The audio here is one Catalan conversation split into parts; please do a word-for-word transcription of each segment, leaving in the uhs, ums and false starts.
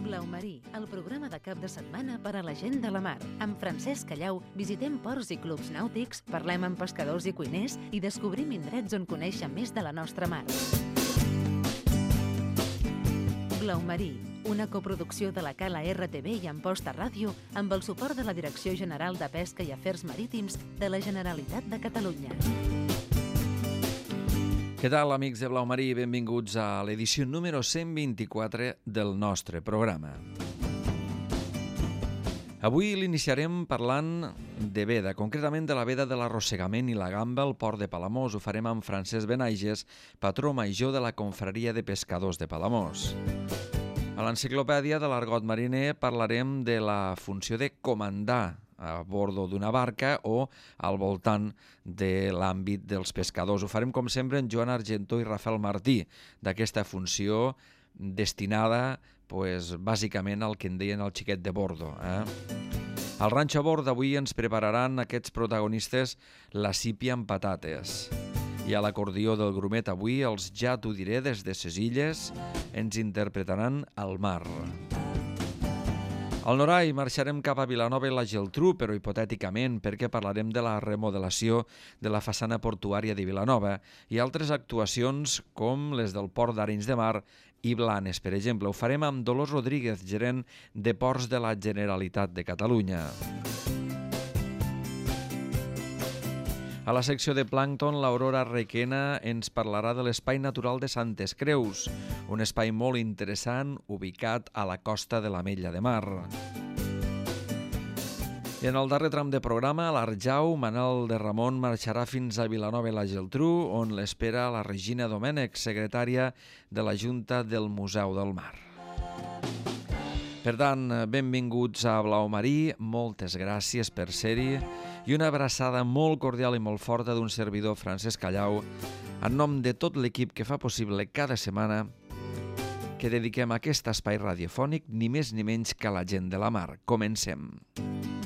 Blau Marí, el programa de cap de setmana per a la gent de la mar. Amb Francesc Callau visitem ports i clubs nàutics, parlem amb pescadors i cuiners i descobrim indrets on conèixer més de la nostra mar. Blau Marí, una coproducció de la Cala R T V i Amposta Ràdio amb el suport de la Direcció General de Pesca i Afers Marítims de la Generalitat de Catalunya. Què tal, amics de Blau Marí? Benvinguts a l'edició número cent vint-i-quatre del nostre programa. Avui l'iniciarem parlant de veda, concretament de la veda de l'arrossegament i la gamba al port de Palamós. Ho farem amb Francesc Benaiges, patró major de la Confraria de Pescadors de Palamós. A l'enciclopèdia de l'argot mariner parlarem de la funció de comandar a bordo d'una barca o al voltant de l'àmbit dels pescadors. Ho farem, com sempre, en Joan Argentó i Rafael Martí, d'aquesta funció destinada, pues, bàsicament al que en deien el xiquet de bordo. Eh? Al ranxo a bord d'avui ens prepararan aquests protagonistes la sípia amb patates. I a l'acordió del grumet avui, els Ja t'ho diré des de ses illes, ens interpretaran al mar. Al Norai marxarem cap a Vilanova i la Geltrú, però hipotèticament, perquè parlarem de la remodelació de la façana portuària de Vilanova i altres actuacions com les del Port d'Arenys de Mar i Blanes, per exemple. Ho farem amb Dolors Rodríguez, gerent de Ports de la Generalitat de Catalunya. A la secció de plàncton, l'Aurora Requena ens parlarà de l'Espai Natural de Santes Creus, un espai molt interessant ubicat a la costa de l'Ametlla de Mar. I en el darrer tram de programa, a l'Arjau, Manel de Ramon marxarà fins a Vilanova i la Geltrú, on l'espera la Regina Domènech, secretària de la Junta del Museu del Mar. Per tant, benvinguts a Blau Marí, moltes gràcies per ser-hi i una abraçada molt cordial i molt forta d'un servidor, Francesc Callau, en nom de tot l'equip que fa possible cada setmana que dediquem a aquest espai radiofònic ni més ni menys que a la gent de la mar. Comencem.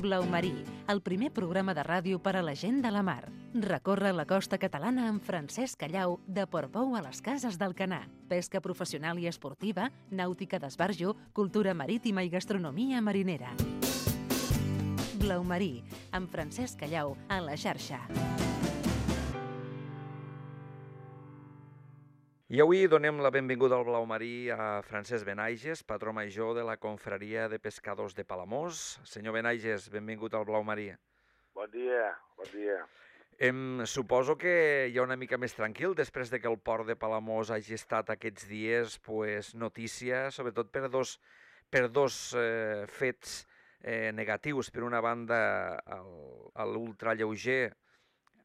Blau Marí, el primer programa de ràdio per a la gent de la mar. Recorre la costa catalana amb Francesc Callau, de Portbou a les Cases d'Alcanar. Pesca professional i esportiva, nàutica d'esbarjo, cultura marítima i gastronomia marinera. Blau Marí, amb Francesc Callau, a la xarxa. I avui donem la benvinguda al Blau Marí a Francesc Benaiges, patró major de la Confraria de Pescadors de Palamós. Senyor Benaiges, benvingut al Blau Marí. Bon dia, bon dia. Em suposo que hi ha una mica més tranquil després de que el port de Palamós hagi estat aquests dies pues, notícia, sobretot per dos, per dos eh, fets eh, negatius. Per una banda, l'ultralleuger,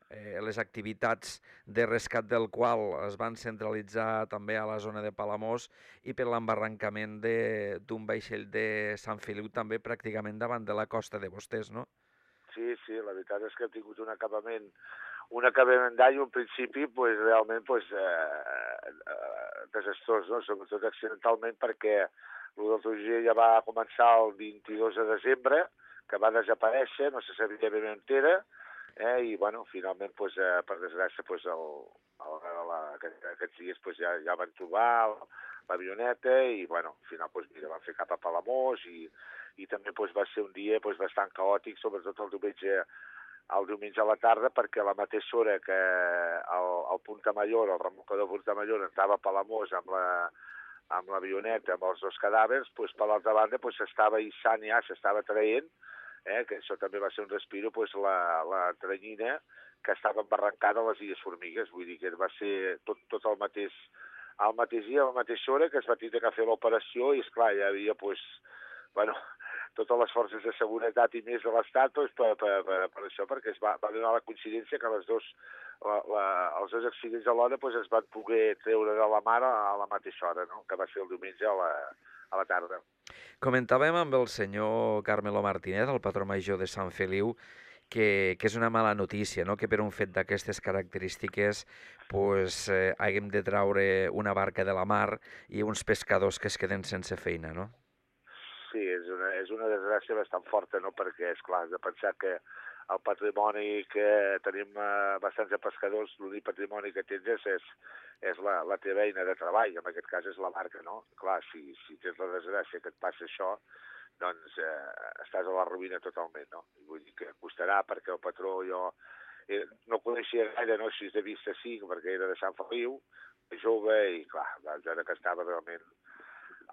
Eh, les activitats de rescat del qual es van centralitzar també a la zona de Palamós i per l'embarrancament d'un vaixell de Sant Feliu també pràcticament davant de la costa de vostès, no? Sí, sí, la veritat és que ha tingut un acabament, un acabament d'any, un principi pues, realment pues, eh, eh, desastrós, no? Sobretot accidentalment perquè l'ultralleuger ja va començar el vint-i-dos de desembre, que va desaparèixer, no se sabia ben on era. Eh, I, bueno, finalment, pues, eh, per desgràcia, pues, el, el, la, aquests dies pues, ja, ja van trobar l'avioneta i, bueno, al final, pues, mira, van fer cap a Palamós i, i també pues, va ser un dia pues, bastant caòtic, sobretot el diumenge, el diumenge a la tarda, perquè a la mateixa hora que el, el Puntamayor, el remolcador Puntamayor, entrava a Palamós amb la amb l'avioneta, amb els dos cadàvers, pues, per l'altra banda pues, s'estava hissant ja, s'estava traient, Eh, que això també va ser un respiro, pues, la, la tranyina que estava embarrancada a les Illes Formigues, vull dir que va ser tot, tot el mateix, al mateix dia, a la mateixa hora que es va tenir que fer l'operació i, esclar, hi havia, pues, bueno, totes les forces de seguretat i més de l'Estat pues, per, per, per, per això, perquè es va, va donar la coincidència que les dos, la, la, els dos accidents alhora pues, es van poder treure de la mar a la mateixa hora, no? Que va ser el diumenge a la, a la tarda. Comentàvem amb el senyor Carmelo Martínez, el patró major de Sant Feliu, que, que és una mala notícia, no? Que per un fet d'aquestes característiques pues, eh, haguem de traure una barca de la mar i uns pescadors que es queden sense feina, no? Sí, és una, és una desgràcia bastant forta, no? Perquè, esclar, has de pensar que el patrimoni que tenim eh, bastants de pescadors, l'únic patrimoni que tens és, és, és la, la teva eina de treball, en aquest cas és la barca, no? Clar, si, si tens la desgràcia que et passa això, doncs eh, estàs a la ruïna totalment, no? Vull dir que costarà perquè el patró jo eh, no coneixia gaire, no? Així de vista sí, perquè era de Sant Feliu, jove, i clar, doncs era que estava realment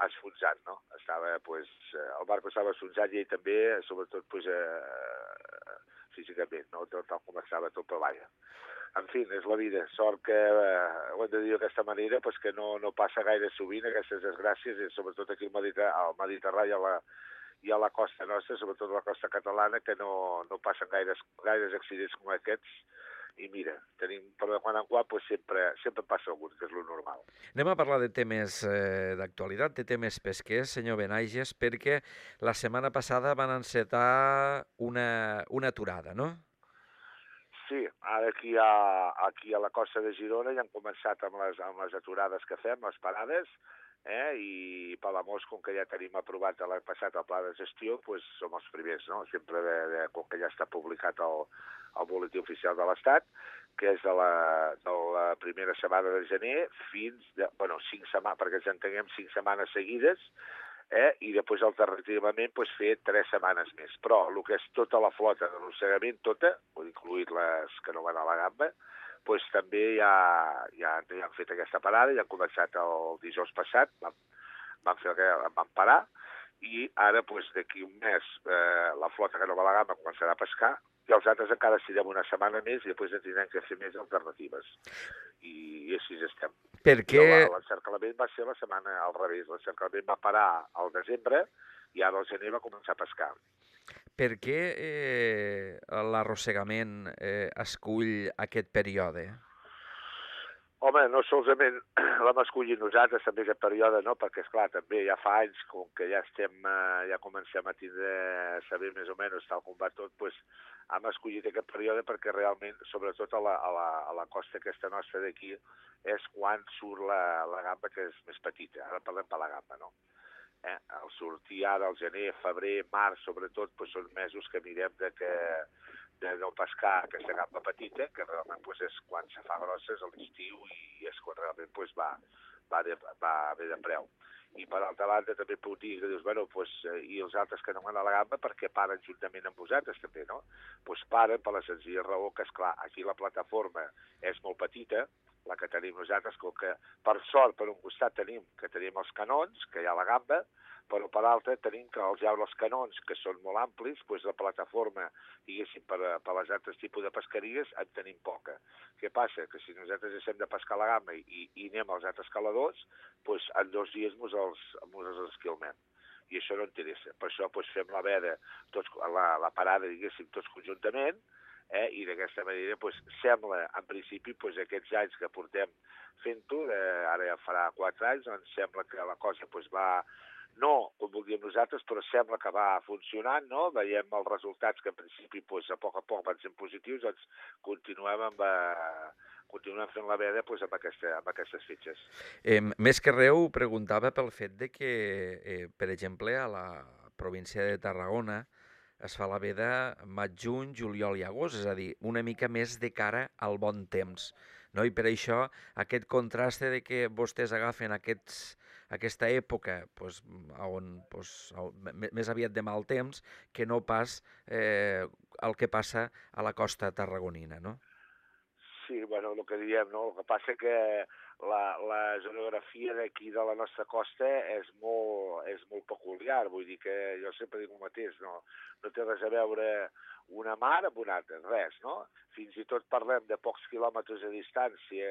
esfonsat, no? Estava, pues, el barco estava esfonsat i ell també, sobretot, pues, eh, físicament, no? Tal, tal com estava tot per l'aire. En fi, és la vida. Sort que, eh, ho hem de dir d'aquesta manera, pues, que no, no passa gaire sovint aquestes desgràcies, i sobretot aquí al Mediterrani, al Mediterrani i a la, i a la costa nostra, sobretot a la costa catalana, que no, no passen gaires, gaires accidents com aquests. I mira, tenim, però de quan en quan pues, sempre, sempre passa algun, que és lo normal. Anem a parlar de temes eh, d'actualitat, de temes pesquers, senyor Benaiges, perquè la setmana passada van encetar una, una aturada, no? Sí, ara aquí a, aquí a la costa de Girona ja han començat amb les, amb les aturades que fem, les parades, eh? I Palamós, com que ja tenim aprovat l'any passat el pla de gestió, doncs som els primers, no? Sempre, de, de, com que ja està publicat el, el boletí oficial de l'Estat, que és de la, de la primera setmana de gener fins, de, bueno, cinc setmanes, perquè ens entenguem cinc setmanes seguides, eh? I després alternativament pues, fer tres setmanes més. Però el que és tota la flota de l'arrossegament, tota, incluït les que no van a la gamba, pues, també ja, ja, ja han fet aquesta parada, ja han començat el dijous passat, van, van, fer, van parar, i ara pues, d'aquí un mes eh, la flota que no va a la gamba començarà a pescar, i els altres encara estirem una setmana més i després en tindrem que fer més alternatives. I, i així estem. Per què? L'encerclament va ser la setmana al revés. L'encerclament va parar al desembre i ara al gener va començar a pescar. Per què eh, l'arrossegament eh, escull aquest període? Home, no solament l'hem escollit nosaltres, també aquest període, no? Perquè, esclar, també ja fa anys, com que ja estem, eh, ja comencem a tindre, a saber més o menys tal com va tot, doncs hem escollit aquest període perquè realment, sobretot a la, a la, a la costa aquesta nostra d'aquí, és quan surt la, la gamba que és més petita. Ara parlem per la gamba, no? Eh? Al sortir ara, al gener, febrer, març, sobretot, doncs són mesos que mirem de que de no pescar aquesta gamba petita, que realment pues, és quan se fa grosses a l'estiu i és quan realment pues, va, va, de, va bé de preu. I per altra banda també puc dir que dius, bueno, pues, i els altres que no van a la gamba perquè paren juntament amb vosaltres també, no? Pues paren per la senzilla raó que, esclar, aquí la plataforma és molt petita, la que tenim nosaltres, com que per sort per un costat tenim que tenim els canons, que hi ha la gamba, però per l'altre tenim que els llaures els canons, que són molt amplis, doncs la plataforma, diguéssim, per, per les altres tipus de pesqueries, en tenim poca. Què passa? Que si nosaltres deixem de pescar la gamba i, i anem als altres caladors, doncs en dos dies mos els, mos els esquilmem. I això no interessa. Per això doncs, fem la veda, tots, la, la parada, diguéssim, tots conjuntament, eh? I d'aquesta manera doncs, sembla, en principi, doncs, aquests anys que portem fent-ho, eh, ara ja farà quatre anys, doncs sembla que la cosa doncs, va... No, com voldríem nosaltres, però sembla que va funcionant, no? Veiem els resultats que en principi doncs, a poc a poc van sent positius, doncs continuem, amb, eh, continuem fent la veda doncs, amb, aquesta, amb aquestes fitxes. Eh, més que res, preguntava pel fet de que, eh, per exemple, a la província de Tarragona es fa la veda maig, juny, juliol i agost, és a dir, una mica més de cara al bon temps. No? I per això aquest contrast de que vostès agafen aquests, aquesta època pues, on, pues, més aviat de mal temps que no pas eh, el que passa a la costa tarragonina, no? Sí, bueno, el que diem, no? El que passa que la, la geografia d'aquí de la nostra costa és molt, és molt peculiar, vull dir que jo sempre dic el mateix, no, no té res a veure una mar amb una altra, res, no? Fins i tot parlem de pocs quilòmetres de distància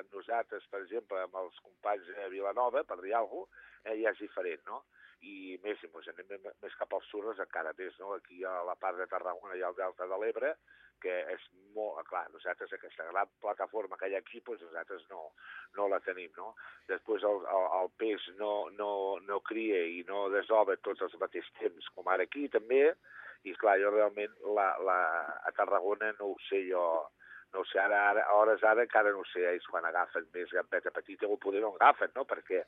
amb nosaltres, per exemple, amb els companys de Vilanova, per dir alguna cosa, eh, ja és diferent, no? I més, si ens anem més cap als surres, encara més, no? Aquí a la part de Tarragona hi ha el Delta de l'Ebre, que és molt, clar, nosaltres aquesta gran plataforma que hi ha aquí, doncs nosaltres no, no la tenim, no? Després el, el, el peix no, no, no cria i no desova tots els mateixos temps, com ara aquí també, i clar, jo realment la, la, a Tarragona no ho sé jo, no ho sé, ara, ara, a hores ara encara no ho sé, ells quan agafen més gambeta petita o poder no agafen, no? Perquè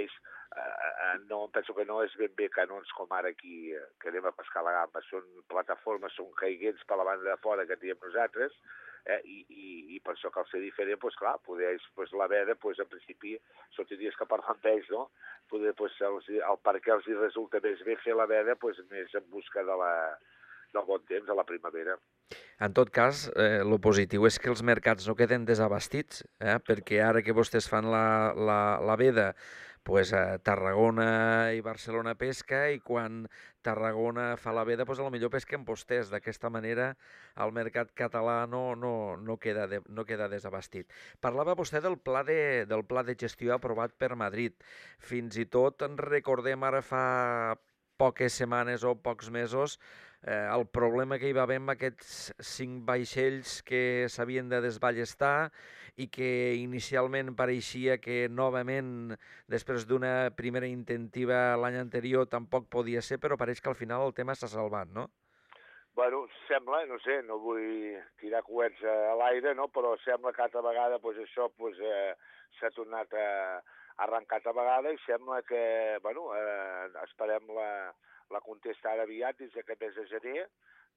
ells, eh, no, penso que no és ben bé canons com ara aquí, eh, que anem a pescar la gamba, són plataformes, són caiguents per la banda de fora que diem nosaltres, eh, i, i, i per això cal ser diferent, doncs clar, poder ells, doncs la veda, doncs en principi, són dies que parlen amb ells, no? Poder, doncs, els, el per què els hi resulta més bé fer la veda, doncs més en busca de la, del bon temps, a la primavera. En tot cas, eh, lo positiu és que els mercats no queden desabastits, eh? Perquè ara que vostès fan la, la, la veda, pues, a Tarragona i Barcelona pesca, i quan Tarragona fa la veda, pues, potser pesquen vostès. D'aquesta manera el mercat català no, no, no, queda de, no queda desabastit. Parlava vostè del pla, de, del pla de gestió aprovat per Madrid. Fins i tot en recordem ara fa poques setmanes o pocs mesos eh, el problema que hi va haver amb aquests cinc vaixells que s'havien de desballestar i que inicialment pareixia que novament, després d'una primera intentiva l'any anterior, tampoc podia ser, però pareix que al final el tema s'ha salvat, no? Bueno, sembla, no sé, no vull tirar coets a l'aire, no? Però sembla que altra vegada pues, això pues, eh, s'ha tornat a arrencar altra vegada i sembla que, bueno, eh, esperem la, la contesta ara aviat dins d'aquest mes de gener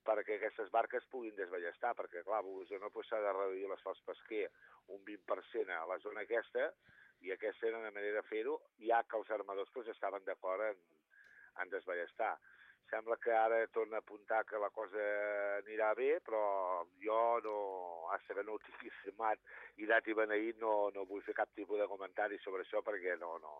perquè aquestes barques puguin desballestar, perquè, clar, s'ha no, pues, de reduir l'esforç pesquer un vint per cent a la zona aquesta, i aquesta era una manera de fer-ho, ja que els armadors pues, estaven d'acord en, en desballestar. Sembla que ara torna a apuntar que la cosa anirà bé, però jo no, hasta que no ho tingui firmat i dat i beneït, no, no vull fer cap tipus de comentari sobre això, perquè no, no.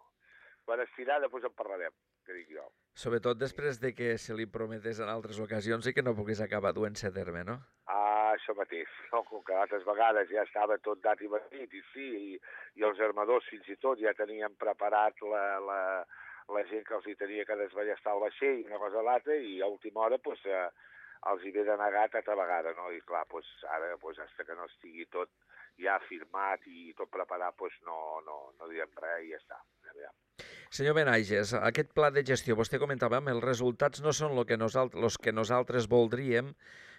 Quan estirà, després en parlarem, que dic jo. Sobretot després de que se li prometés en altres ocasions i que no pogués acabar duent-se a terme, no? Ah, això mateix, no? Com que altres vegades ja estava tot dat i beneït, i sí, i, i els armadors fins i tot ja tenien preparat la... la la gent que els hi tenia que desballestar el vaixell, una cosa a l'altra, i a última hora pues, eh, els hi ve denegat altra vegada, no? I clar, pues, ara, pues, fins que no estigui tot ja firmat i tot preparat, pues, no, no, no direm res i ja està. Senyor Benaiges, aquest pla de gestió, vostè comentava, els resultats no són el que nosaltres, los que nosaltres voldríem,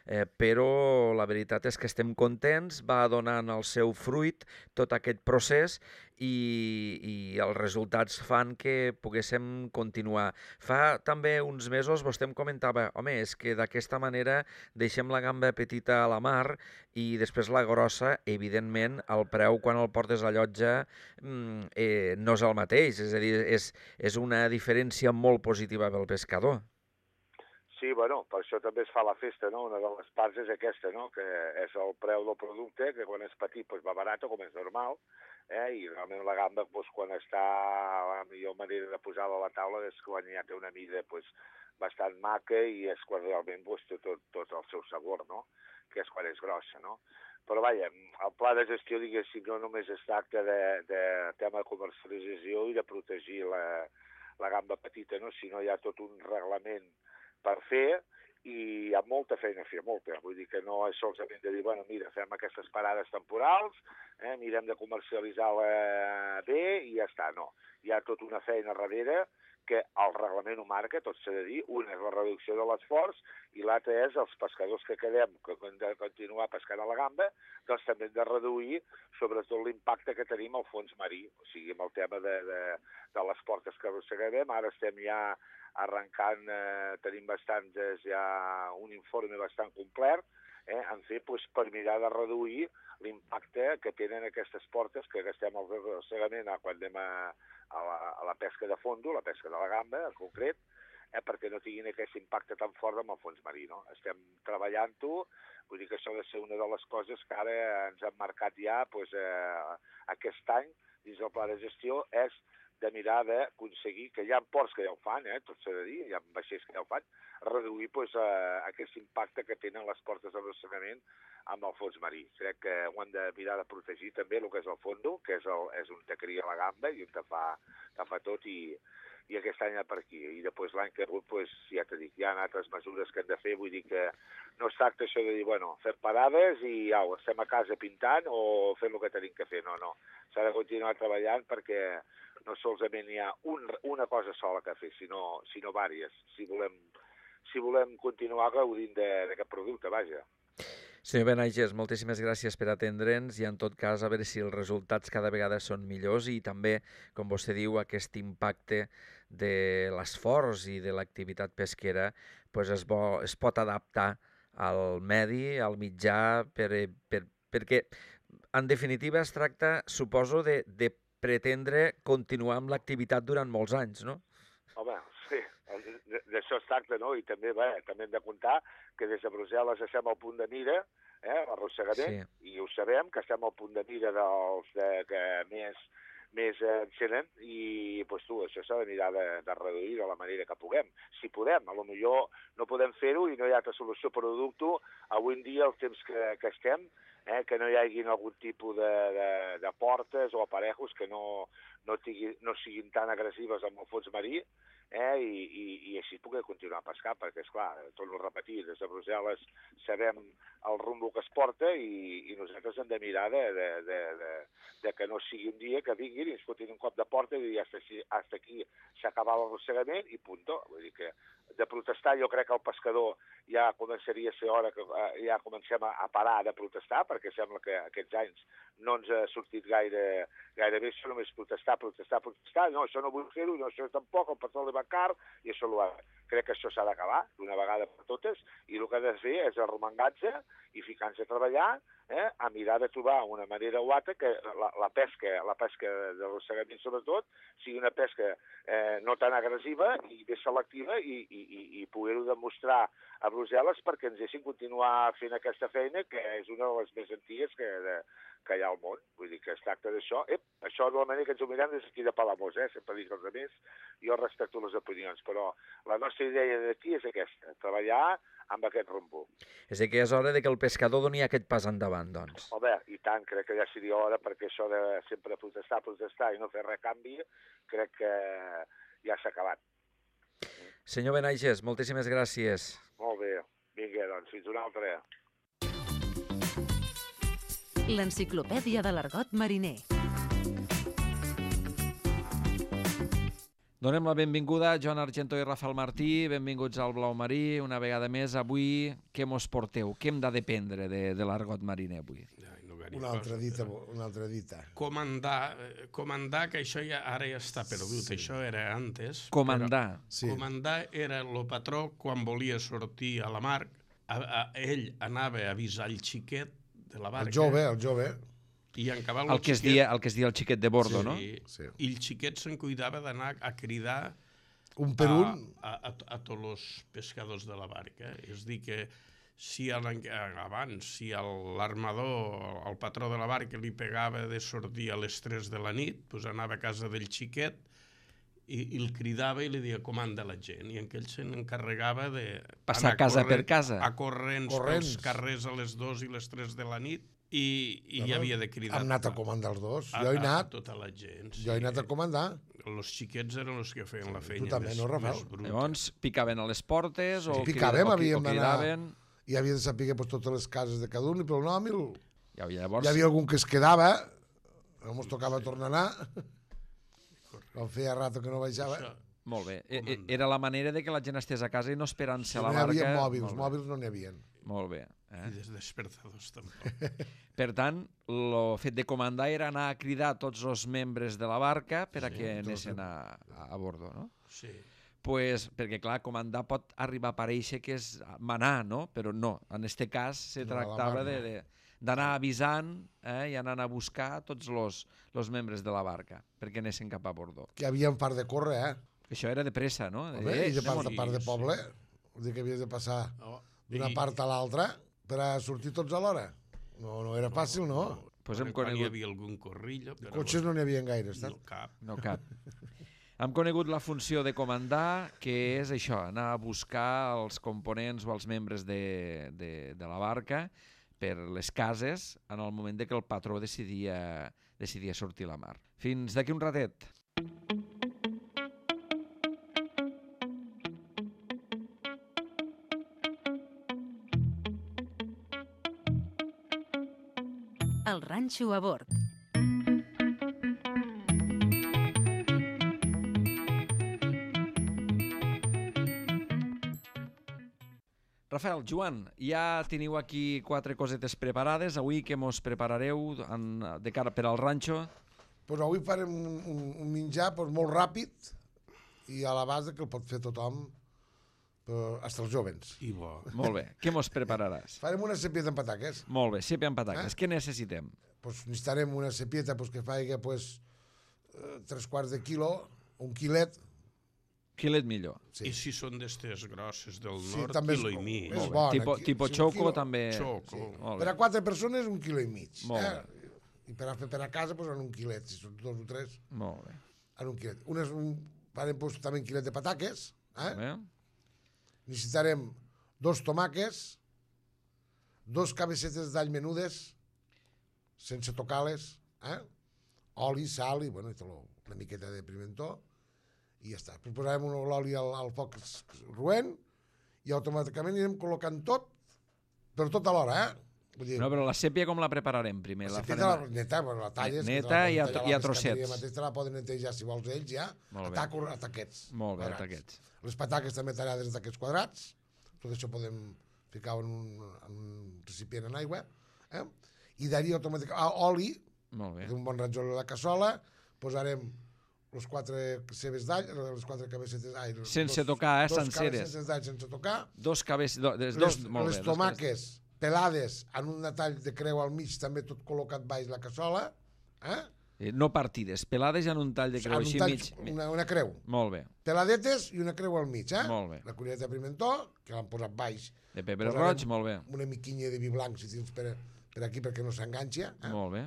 eh, però la veritat és que estem contents, va donant el seu fruit tot aquest procés i, i els resultats fan que poguéssim continuar. Fa també uns mesos vostè em comentava, home, és que d'aquesta manera deixem la gamba petita a la mar i després la grossa, evidentment, el preu quan el portes a llotja eh, no és el mateix, és a dir, és, és una diferència molt positiva pel pescador. Sí, bueno, per això també es fa la festa, no? Una de les parts és aquesta, no? Que és el preu del producte, que quan és petit pues, va barat, com és normal, eh? I realment la gamba, pues, quan està la millor manera de posar-la a la taula és quan ja té una mida pues, bastant maca i és quan realment pues, té tot, tot el seu sabor, no? Que és quan és grossa, no? Però, vaja, el pla de gestió, diguéssim, no només es tracta de, de tema de comercialització i de protegir la, la gamba petita, no? Sinó hi ha tot un reglament per fer, i hi ha molta feina a fer, molta. Vull dir que no és solament de dir, bueno, mira, fem aquestes parades temporals, eh, mirem de comercialitzar-la bé i ja està. No, hi ha tota una feina darrere que el reglament ho marca, tot s'ha de dir. Una és la reducció de l'esforç i l'altra és els pescadors que quedem, que hem de continuar pescant a la gamba, doncs també hem de reduir sobretot l'impacte que tenim al fons marí, o sigui, amb el tema de, de, de les portes que arrosseguem. Ara estem ja arrencant, eh, tenim bastants, ja un informe bastant complet, eh, en fer pues, per mirar de reduir l'impacte que tenen aquestes portes que gastem al arrossegament quan anem a, a, la, a la pesca de fondo, la pesca de la gamba en concret, eh, perquè no tinguin aquest impacte tan fort amb el fons marí. No? Estem treballant-ho, vull dir que això ha de ser una de les coses que ara ens han marcat ja pues, eh, aquest any dins del pla de gestió, és de mirar d'aconseguir, que hi ha ports que ja ho fan, eh, tot s'ha de dir, hi ha vaixells que ja ho fan, reduir pues, eh, aquest impacte que tenen les portes d'arrossegament amb el fons marí. Crec que ho han de mirar de protegir també el que és el fondo, que és, el, és on te cria la gamba i on te fa, te fa tot, i, i aquest any per aquí. I després l'any que ve, pues, ja t'he dit, hi ha altres mesures que hem de fer, vull dir que no es tracta això de dir, bueno, fer parades i au, estem a casa pintant o fem el que tenim que fer, no, no. S'ha de continuar treballant perquè no solament hi ha un, una cosa sola que fer, sinó, sinó vàries, si volem, si volem continuar gaudint d'aquest producte, vaja. Senyor Benaiges, moltíssimes gràcies per atendre'ns i en tot cas a veure si els resultats cada vegada són millors i també, com vostè diu, aquest impacte de l'esforç i de l'activitat pesquera pues es, bo, es pot adaptar al medi, al mitjà, per, per, perquè en definitiva es tracta, suposo, de, de pretendre continuar amb l'activitat durant molts anys, no? Home, sí, d'això es tracta, no? I també, bé, també hem de comptar que des de Brussel·les estem al punt de mira, eh, l'arrossegament, sí. I ho sabem, que estem al punt de mira dels de, que més, més eh, encenen, i doncs, tu, això s'ha de mirar de, de reduir de la manera que puguem. Si podem, a lo millor no podem fer-ho i no hi ha altra solució per producte. Avui en dia, el temps que, que estem, eh, que no hi hagi algun tipus de, de, de portes o aparejos que no, no, tingui, no siguin tan agressives amb el fons marí, eh, i, i, i així poder continuar a pescar, perquè, esclar, torno a repetir, des de Brussel·les sabem el rumbo que es porta i, i nosaltres hem de mirar de, de, de, de, de que no sigui un dia que vinguin i ens fotin un cop de porta i dir hasta aquí, hasta aquí s'ha acabat l'arrossegament i punto. Vull dir que de protestar jo crec que el pescador ja començaria a ser hora que ja comencem a, a parar de protestar, perquè sembla que aquests anys no ens ha sortit gaire, gaire bé això, només protestar, protestar, protestar, no, això no vull fer-ho, no, això tampoc, el petroli va car, i això ho ha... Crec que això s'ha d'acabar d'una vegada per totes, i el que ha de fer és arromangar-se i ficar-nos a treballar, eh, a mirar de trobar una manera o altra que la, la pesca, la pesca de l'arrossegament sobretot, sigui una pesca eh, no tan agressiva i més selectiva i, i, i, i poder-ho demostrar a Brussel·les perquè ens deixin continuar fent aquesta feina, que és una de les més antigues que, de, que hi ha al món. Vull dir que es tracta d'això. Ep, això de la manera que ens ho mirem des d'aquí de Palamós, eh? Sempre dic els altres, jo respecto les opinions, però la nostra idea d'aquí és aquesta, treballar amb aquest rumbo. És a dir, que és hora de que el pescador doni aquest pas endavant, doncs. Home, i tant, crec que ja seria hora, perquè això de sempre protestar, protestar i no fer res canvi, crec que ja s'ha acabat. Senyor Benaiges, moltíssimes gràcies. Molt bé, vinga, doncs, fins una altra. L'enciclopèdia de l'argot mariner. Donem la benvinguda a Joan Argento i Rafael Martí, benvinguts al Blau Marí, una vegada més. Avui, què mos porteu? Què hem de dependre de, de l'argot mariner avui? Una altra dita, una altra dita. Comandar, comandar, que això ja ara ja està perdut, sí. Això era antes. Comandar. Sí. Comandar era el patró quan volia sortir a la mar, a, a, ell anava a avisar el xiquet de la barca. El jove, el jove. I en cabal el, que es dia, el que es dia el xiquet de bordo, sí, no? Sí. I el xiquet se'n cuidava d'anar a cridar un per un a, a, a, a tots els pescadors de la barca. És dir que si a abans, si l'armador, el patró de la barca li pegava de sortir a les tres de la nit, doncs anava a casa del xiquet i, i el cridava i li deia comanda la gent, i en aquell se n'encarregava de passar casa per casa, a corrents, corrents pels carrers a les dues i les tres de la nit i, i no, hi havia de cridar. Hem anat a comandar els dos, a, jo he anat, a tota la gent, sí. Jo he anat a comandar. Els xiquets eren els que feien la feina tu també, més, no, més bruta. Llavors picaven a les portes o, sí, picàvem, o, havíem o cridaven... I havia de saber pues, totes les cases de cada un i pel nom. El... Ja, llavors... Hi havia algun que es quedava, no ens tocava sí. tornar a anar. Com feia rato que no baixava. Això, molt bé. Era la manera de que la gent estés a casa i no esperant-se a la barca. No hi havia mòbils, mòbils no n'hi havia. Molt bé. Eh? I des despertadors tampoc. Per tant, el fet de comandar era anar a cridar tots els membres de la barca per a sí, que anessin a, a bordo, no? Sí. Pues, perquè, clar, comandar pot arribar a parèixer que és manar, no? Però no, en aquest cas se tractava d'anar avisant eh, i anant a buscar tots els membres de la barca perquè anessin cap a bordo. Que hi havia un part de córrer, eh? Això era de pressa, no? Home, eh, I de part, de part de poble, vull dir que havies de passar oh, d'una i... part a l'altra per a sortir tots alhora. No, no era fàcil, no? no. Pues hem conegut... Hi havia algun corrillo... Però... Cotxes no n'hi havia gaire, no cap. No cap. Hem conegut la funció de comandar, que és això, anar a buscar els components o els membres de, de, de la barca per les cases en el moment de que el patró decidia, decidia sortir a la mar. Fins d'aquí un ratet. El ranxo a bord. Rafael, Joan, ja teniu aquí quatre cosetes preparades. Avui què mos preparareu en, de cara per al ranxo? Pues avui farem un, un, un menjar pues, molt ràpid i a la base que el pot fer tothom, fins als jovens. I bo. Molt bé. Què mos prepararàs? Farem una cepieta amb pataques. Molt bé, sèpia amb pataques. Eh? Què necessitem? Pues necessitarem una cepieta pues, que faci pues, tres quarts de quilo, un quilet. Quilet millor. Sí. I si són d'estes grosses del sí, nord, quilo és, i mig. És bona. Tipo, tipo sí, xoco quilo, també. Xoco. Sí. Per a quatre persones, un quilo i mig. Molt eh? bé. I per a fer per a casa, pues, en un quilet. Si són dos o tres, Molt bé. en un quilet. Unes, un, farem pues, també un quilet de pataques. Eh? Bé. Necessitarem dos tomàquets, dos cabecetes d'all menudes, sense tocar-les, eh? oli, sal i, bueno, i tot, una miqueta de pimentó, i ja està. Posarem l'oli al, al foc roent i automàticament anirem col·locant tot, però tot alhora, eh? Vull dir, No, però la sèpia com la prepararem primer? la La cepieta la, farem... neta, bueno, la talles. Neta que te la i a- poden tallar i a la pescateria trossets. Mateix te la poden netejar, si vols, ells ja, Molt a, bé. taco, a taquets. Molt bé, quadrats. taquets. Les pataques també tallades en taquets quadrats. Tot això podem ficar en un, en un recipient en aigua. Eh? I d'ahir automàticament, ah, oli, Molt bé. un bon rajola a la cassola, posarem les quatre cebes d'all, les quatre cabecetes d'all. Sense tocar, eh, dos senceres. cabecetes d'all sense tocar. Dos cabes... Do, des, Les, dos, molt les bé, dos tomàques pelades en un tall de creu al mig, també tot col·locat baix la cassola. Eh? cabes. Eh, No partides, pelades en un tall de creu, En un així tall, mig. una, una creu. Molt bé, Peladetes i una creu al mig, eh? Molt bé. La cullereta de pimentó, que l'han posat baix. de pebre Posarem roig, molt bé. Una miquinya de vi blanc, si tens per, per aquí, perquè no s'enganxa. Eh? Molt bé.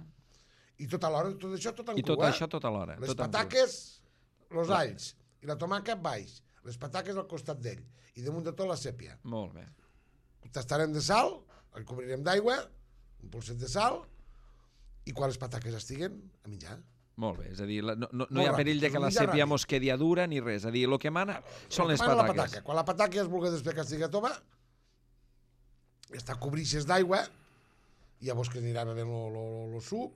I tot alhora, tot això tot en I tot cru, eh? això tot alhora. Les tot en cru. pataques, els alls, i la tomàquet baix. Les pataques al costat d'ell. I damunt de tot la sèpia. Molt bé. Tastarem de sal, el cobrirem d'aigua, un polset de sal, i quan les pataques estiguen, a menjar. Molt bé, és a dir, la- no, no, no Molt hi ha ràpid, perill de és que un la menjar sèpia ràpid. mos quedi a dura ni res. És a dir, el que mana són les Mana la pataques. pataca. Quan la pataca es vulgui després que estigui tova, està cobrixes d'aigua, i llavors que anirà bevent el suc,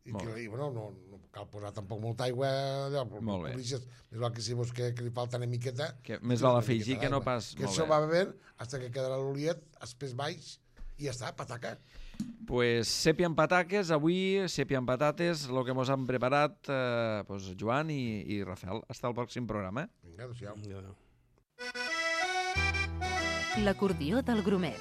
i, Molt que, bé. i bueno, no, no cal posar tampoc molta aigua, allò, Molt bé. cobrixes, més val que si veus que, que li falta una miqueta, Que més fiques val una afegir miqueta que no d'aigua. pas- Que molt això bé. va bevent fins que quedarà l'oliet, espès baix, i ja està, pataca. Pues sèpia amb pataques, avui sèpia amb patates, el que mos han preparat eh, pues, Joan i, i Rafael. Hasta el pròxim programa. Vinga, adéu-siau. Adéu. L'acordió del Grumet.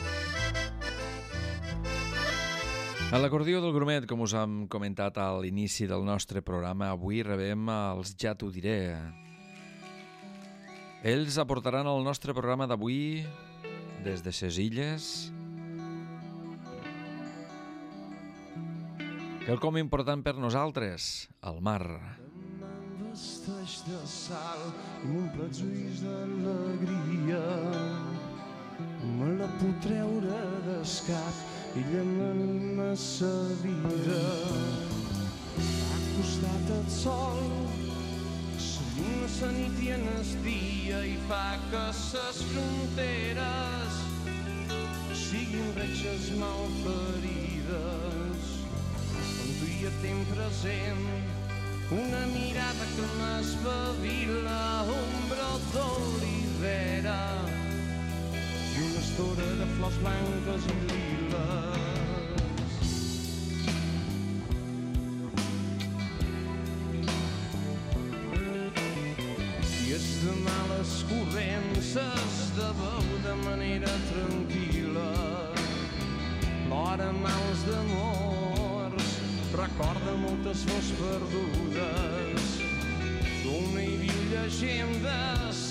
A l'acordió del Grumet, com us hem comentat a l'inici del nostre programa, avui rebem els Ja t'ho diré. Ells aportaran al nostre programa d'avui, des de ses illes, quelcom important per nosaltres, el mar. Vesteix de sal i m'omple els ulls d'alegria. Me la puc treure d'escap i llama sa vida. Ha costat el sol, s'alluna sa nit i en el dia i fa que ses fronteres siguin reixes malferides. On tu hi ha temps present, una mirada que m'espavila, ombra d'olivera i una estora de flors blanques i liles. I és de males corrences de veu de manera tranquil·la, l'hora mals d'amors recorda moltes flors perdudes, dona i viu llegendes,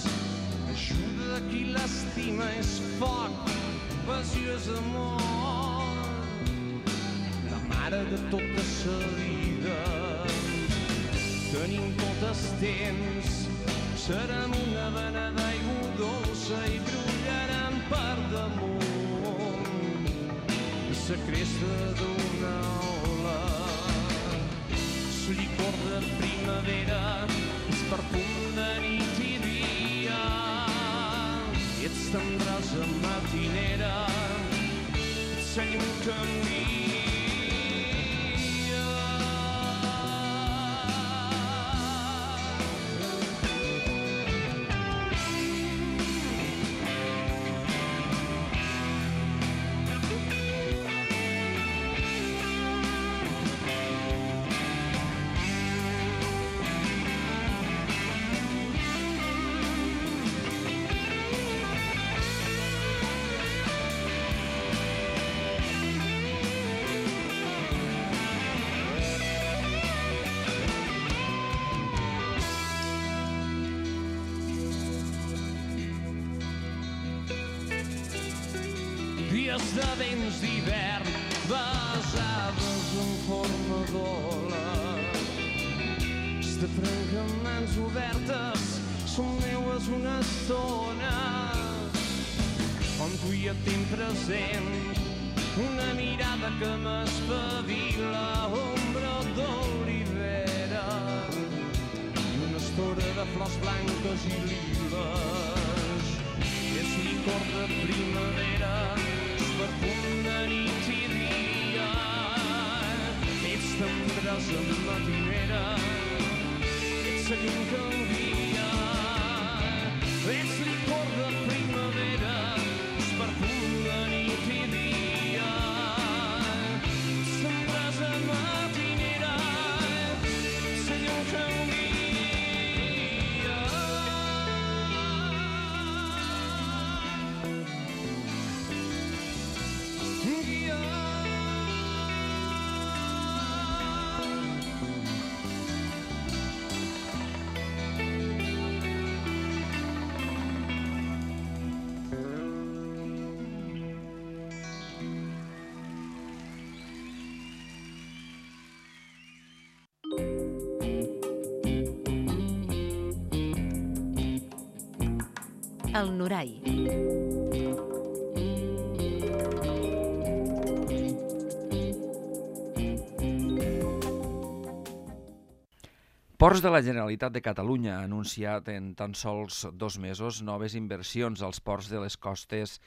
ajuda qui l'estima, és foc, passió és amor, la mare de tota sa vida. Tenim tot el temps, serem una vena d'aigua dolça i brollarem per damunt la cresta d'una ola. El licor de primavera, el perfum de nit i dia, i ets tendresa matinera, ets la llum que envia. dies de vents d'hivern besades en forma d'ola. De franca amb mans obertes són meues una estona on tu hi et tinc present una mirada que m'espavila, ombra d'olivera i una estora de flors blanques i liles. És licor de primavera, és perfum de nit i dia, ets tendresa matinera, ets la llum que envia, ets licor de primavera, és perfum de nit i dia, ets tendresa matinera, ets la llum que envia. El Norai. Ports de la Generalitat de Catalunya ha anunciat en tan sols dos mesos noves inversions als ports de les costes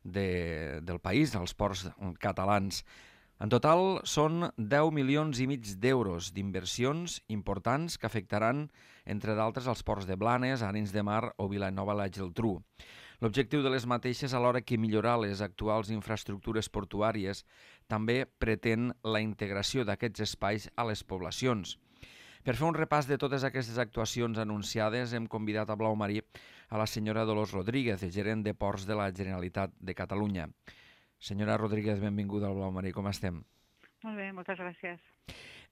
de, del país, als ports catalans. En total són deu milions i mig d'euros d'inversions importants que afectaran, entre d'altres, els ports de Blanes, Arenys de Mar o Vilanova i la Geltrú. L'objectiu de les mateixes, alhora que millorar les actuals infraestructures portuàries, també pretén la integració d'aquests espais a les poblacions. Per fer un repàs de totes aquestes actuacions anunciades, hem convidat a Blau Marí a la senyora Dolors Rodríguez, gerent de Ports de la Generalitat de Catalunya. Senyora Rodríguez, benvinguda al Blau Marí, com estem? Molt bé, moltes gràcies.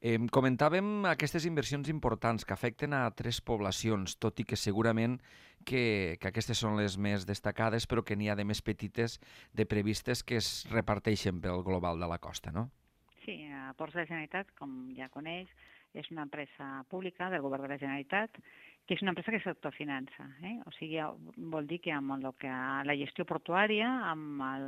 Eh, comentàvem aquestes inversions importants que afecten a tres poblacions, tot i que segurament que, que aquestes són les més destacades, però que n'hi ha de més petites de previstes que es reparteixen pel global de la costa, no? Sí, a Ports de la Generalitat, com ja coneix, és una empresa pública del govern de la Generalitat, que és una empresa que s'autofinança. Eh? O sigui, vol dir que amb el que la gestió portuària, amb el,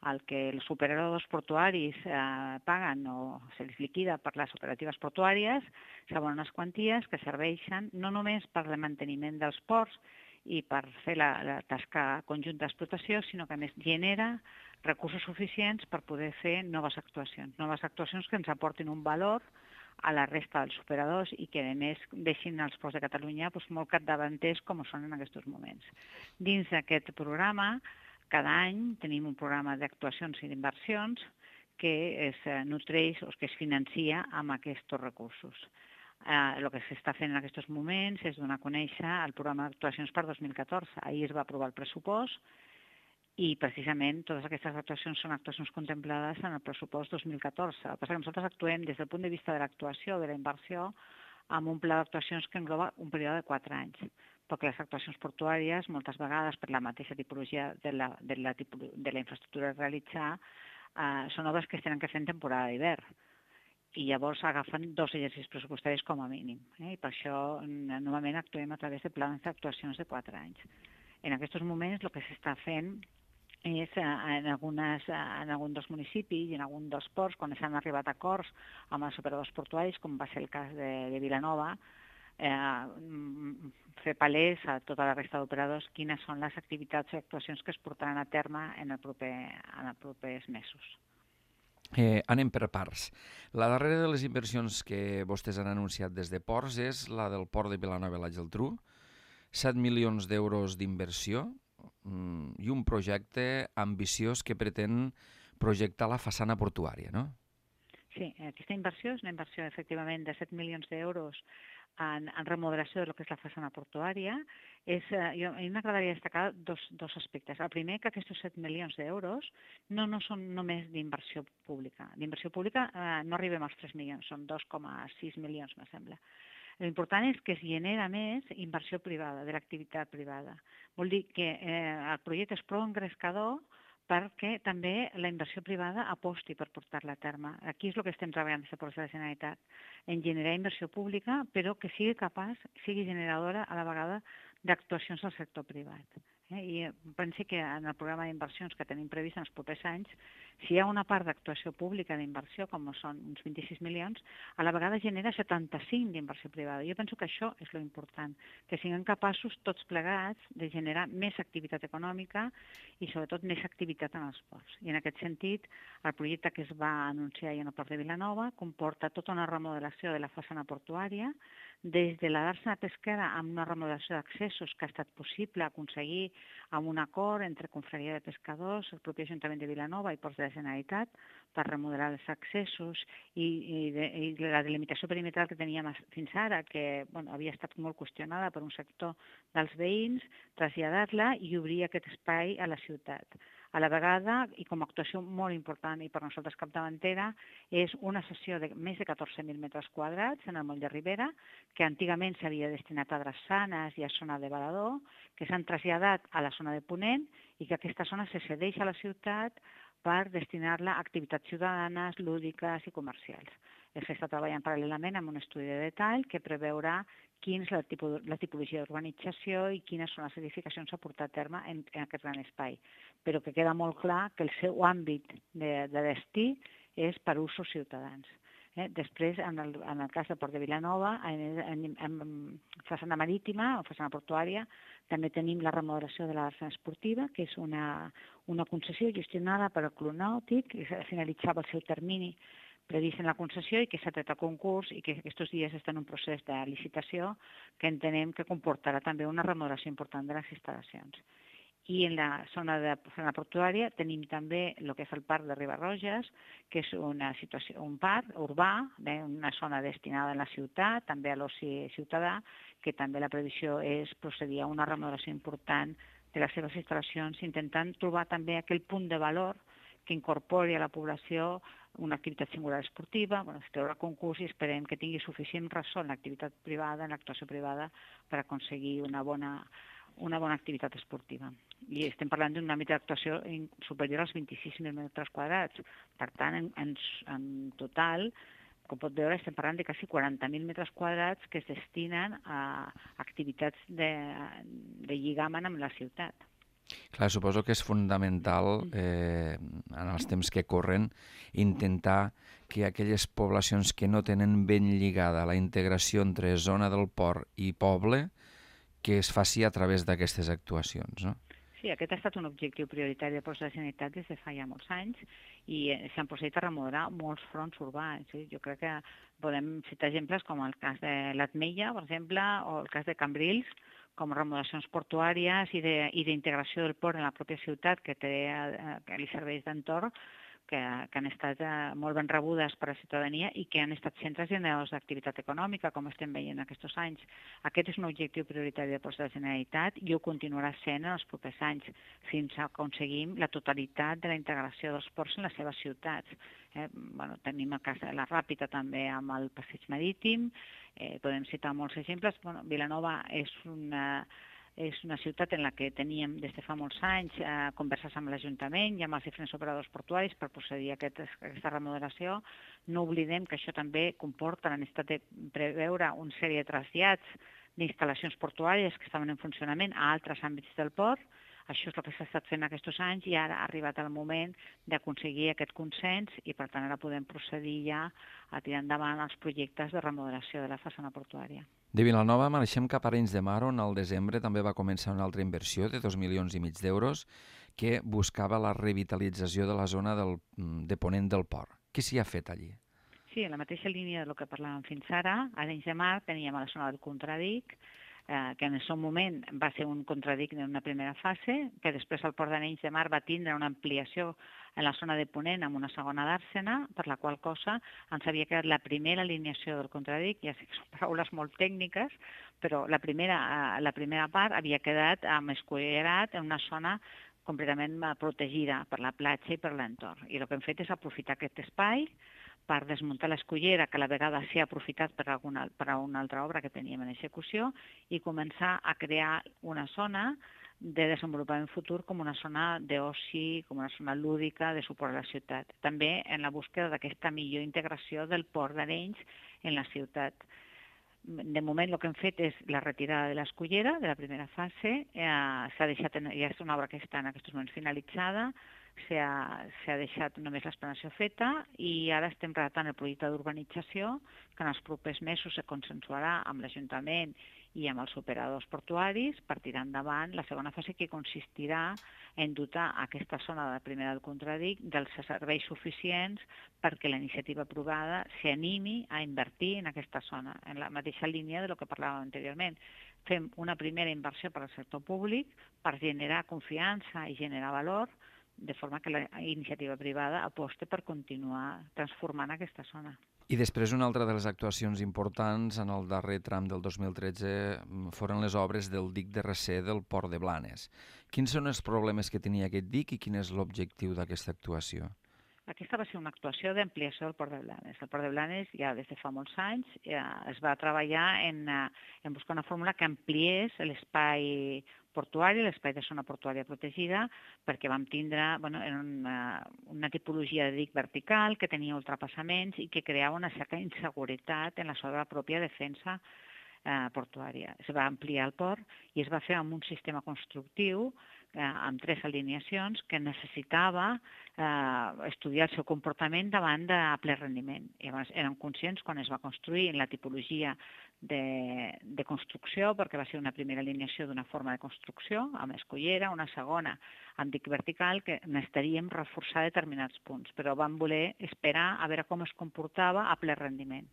el que els operadors portuaris eh, paguen o se'ls liquida per les operatives portuàries, s'abonen unes quanties que serveixen no només per al manteniment dels ports i per fer la, la tasca conjunta d'explotació, sinó que a més genera recursos suficients per poder fer noves actuacions. Noves actuacions que ens aportin un valor a la resta dels operadors i que, a més, deixin els ports de Catalunya doncs, molt capdavanters com ho són en aquests moments. Dins d'aquest programa, cada any tenim un programa d'actuacions i d'inversions que es nutreix o que es financia amb aquests recursos. Eh, el que s'està fent en aquests moments és donar a conèixer el programa d'actuacions per dos mil catorze. Ahir es va aprovar el pressupost i precisament totes aquestes actuacions són actuacions contemplades en el pressupost dos mil catorze. El que passa que nosaltres actuem des del punt de vista de l'actuació, de la inversió, amb un pla d'actuacions que engloba un període de quatre anys, perquè les actuacions portuàries, moltes vegades per la mateixa tipologia de la, de la, tipolo, de la infraestructura a realitzar, eh, són obres que es tenen que fer en temporada d'hivern. I llavors agafen dos exercicis pressupostaris com a mínim. Eh? I per això normalment actuem a través de plans d'actuacions de quatre anys. En aquests moments el que s'està fent és en, algunes, en algun dels municipis i en algun dels ports, quan s'han arribat a acords amb els operadors portuaris, com va ser el cas de, de Vilanova, eh, fer palès a tota la resta d'operadors quines són les activitats o actuacions que es portaran a terme en, el proper, en els propers mesos. Eh, anem per parts. La darrera de les inversions que vostès han anunciat des de Ports és la del port de Vilanova i la Geltrú, set milions d'euros d'inversió mm, i un projecte ambiciós que pretén projectar la façana portuària, no? Sí, aquesta inversió és una inversió efectivament de set milions d'euros en, en remodelació de lo que és la façana portuària. És, eh, jo, a mi m'agradaria destacar dos, dos aspectes. El primer, que aquests set milions d'euros no, no són només d'inversió pública. D'inversió pública eh, no arribem als tres milions, són dos coma sis milions, me sembla. L'important és que es genera més inversió privada, de l'activitat privada. Vol dir que eh, el projecte és prou engrescador perquè també la inversió privada aposti per portar-la a terme. Aquí és el que estem treballant des de Ports de la Generalitat, en generar inversió pública, però que sigui capaç, sigui generadora a la vegada d'actuacions del sector privat. Eh? I penso que en el programa d'inversions que tenim previst en els propers anys, si hi ha una part d'actuació pública d'inversió, com són uns vint-i-sis milions, a la vegada genera setanta-cinc d'inversió privada. Jo penso que això és lo important, que siguem capaços tots plegats de generar més activitat econòmica i sobretot més activitat en els ports. I en aquest sentit, el projecte que es va anunciar ahir en el Port de Vilanova comporta tota una remodelació de la façana portuària, des de la dàrsena pesquera amb una remodelació d'accessos que ha estat possible aconseguir amb un acord entre Confraria de Pescadors, el propi Ajuntament de Vilanova i Ports de la Generalitat per remodelar els accessos i, i, de, i la delimitació perimetral que teníem fins ara, que bueno, havia estat molt qüestionada per un sector dels veïns, traslladar-la i obrir aquest espai a la ciutat. A la vegada, i com a actuació molt important i per nosaltres capdavantera, és una sessió de més de catorze mil metres quadrats en el moll de Ribera, que antigament s'havia destinat a drassanes i a zona de varador, que s'han traslladat a la zona de Ponent i que aquesta zona se cedeix a la ciutat per destinar-la a activitats ciutadanes, lúdiques i comercials. S'està treballant paral·lelament amb un estudi de detall que preveurà quina és la, tipus, la tipologia d'urbanització i quines són les edificacions a portar a terme en, en aquest gran espai. Però que queda molt clar que el seu àmbit de, de destí és per usos ciutadans. Eh? Després, en el, en el cas del Port de Vilanova, en, en, en façana marítima o façana portuària, també tenim la remodelació de la dàrsena esportiva, que és una, una concessió gestionada per el Club Nàutic, que finalitzava el seu termini previst en la concessió i que s'ha tret a concurs i que aquests dies està en un procés de licitació que entenem que comportarà també una remodelació important de les instal·lacions. I en la zona de zona portuària tenim també el que és el parc de Ribarroges, que és una situació, un parc urbà, eh, una zona destinada a la ciutat, també a l'oci ciutadà, que també la previsió és procedir a una remodelació important de les seves instal·lacions, intentant trobar també aquell punt de valor que incorpori a la població una activitat singular esportiva, bueno, es treurà concurs i esperem que tingui suficient ressò en l'activitat privada, en l'actuació privada, per aconseguir una bona, una bona activitat esportiva. I estem parlant d'un àmbit d'actuació superior als vint-i-sis mil metres quadrats. Per tant, en, en, en total, com pot veure, estem parlant de quasi quaranta mil metres quadrats que es destinen a activitats de, de lligament amb la ciutat. Clar, suposo que és fonamental, eh, en els temps que corren, intentar que aquelles poblacions que no tenen ben lligada la integració entre zona del port i poble, que es faci a través d'aquestes actuacions, no? Sí, aquest ha estat un objectiu prioritari de Ports de la Generalitat des de fa ja molts anys i s'han procedit a remodelar molts fronts urbans. Sí? Jo crec que podem citar exemples com el cas de l'Atmella, per exemple, o el cas de Cambrils, com remodelacions portuàries i d'integració del port en la pròpia ciutat que, té, que li serveix d'entorn, que, que han estat molt ben rebudes per a la ciutadania i que han estat centres generadors d'activitat econòmica, com estem veient aquests anys. Aquest és un objectiu prioritari de Ports de la Generalitat i ho continuarà sent en els propers anys, fins a aconseguim la totalitat de la integració dels ports en les seves ciutats. Eh, bueno, tenim el cas de la Ràpita també amb el passeig marítim, eh, podem citar molts exemples. Bueno, Vilanova és una... és una ciutat en la que teníem des de fa molts anys eh, converses amb l'Ajuntament i amb els diferents operadors portuaris per procedir a aquest, aquesta remodelació. No oblidem que això també comporta la necessitat de preveure una sèrie de trasllats d'instal·lacions portuàries que estaven en funcionament a altres àmbits del port. Això és el que s'ha estat fent aquests anys i ara ha arribat el moment d'aconseguir aquest consens i per tant ara podem procedir ja a tirar endavant els projectes de remodelació de la façana portuària. De Vilanova marxem cap a Arenys de Mar, on al desembre també va començar una altra inversió de dos milions i mig d'euros que buscava la revitalització de la zona del, de ponent del port. Què s'hi ha fet allí? Sí, en la mateixa línia del que parlàvem fins ara, a Arenys de Mar teníem a la zona del Contradic, eh, que en el seu moment va ser un contradic en una primera fase, que després el port d'Arenys de Mar va tindre una ampliació en la zona de Ponent amb una segona dàrsena, per la qual cosa ens havia quedat la primera alineació del contradic, ja sé que són paraules molt tècniques, però la primera, la primera part havia quedat amb escullerat en una zona completament protegida per la platja i per l'entorn. I el que hem fet és aprofitar aquest espai per desmuntar l'escullera, que a la vegada s'ha aprofitat per, alguna, per a una altra obra que teníem en execució, i començar a crear una zona de desenvolupament futur com una zona d'oci, com una zona lúdica de suport a la ciutat. També en la búsqueda d'aquesta millor integració del port d'Arenys en la ciutat. De moment el que hem fet és la retirada de l'escullera de la primera fase, eh, s'ha deixat, en, ja és una obra que està en aquests moments finalitzada, s'ha deixat només l'explanació feta i ara estem redactant el projecte d'urbanització que en els propers mesos se consensuarà amb l'Ajuntament i amb els operadors portuaris per tirar endavant la segona fase, que consistirà en dotar aquesta zona de la primera del Contradic dels serveis suficients perquè la iniciativa privada s'animi a invertir en aquesta zona, en la mateixa línia de lo que parlàvem anteriorment. Fem una primera inversió per al sector públic per generar confiança i generar valor, de forma que la iniciativa privada aposti per continuar transformant aquesta zona. I després una altra de les actuacions importants en el darrer tram del dos mil tretze foren les obres del dic de recer del Port de Blanes. Quins són els problemes que tenia aquest dic i quin és l'objectiu d'aquesta actuació? Aquesta va ser una actuació d'ampliació del Port de Blanes. El Port de Blanes ja des de fa molts anys ja es va treballar en, en buscar una fórmula que ampliés l'espai portuari, l'espai de zona portuària protegida, perquè vam tindre bueno, una, una tipologia de dic vertical que tenia ultrapassaments i que creava una certa inseguretat en la seva pròpia defensa eh, portuària. Es va ampliar el port i es va fer amb un sistema constructiu eh, amb tres alineacions que necessitava eh, estudiar el seu comportament davant de ple rendiment. I llavors érem conscients quan es va construir en la tipologia de, de construcció, perquè va ser una primera alineació d'una forma de construcció, amb escollera, una segona amb dic vertical, que necessitaríem reforçar determinats punts, però vam voler esperar a veure com es comportava a ple rendiment.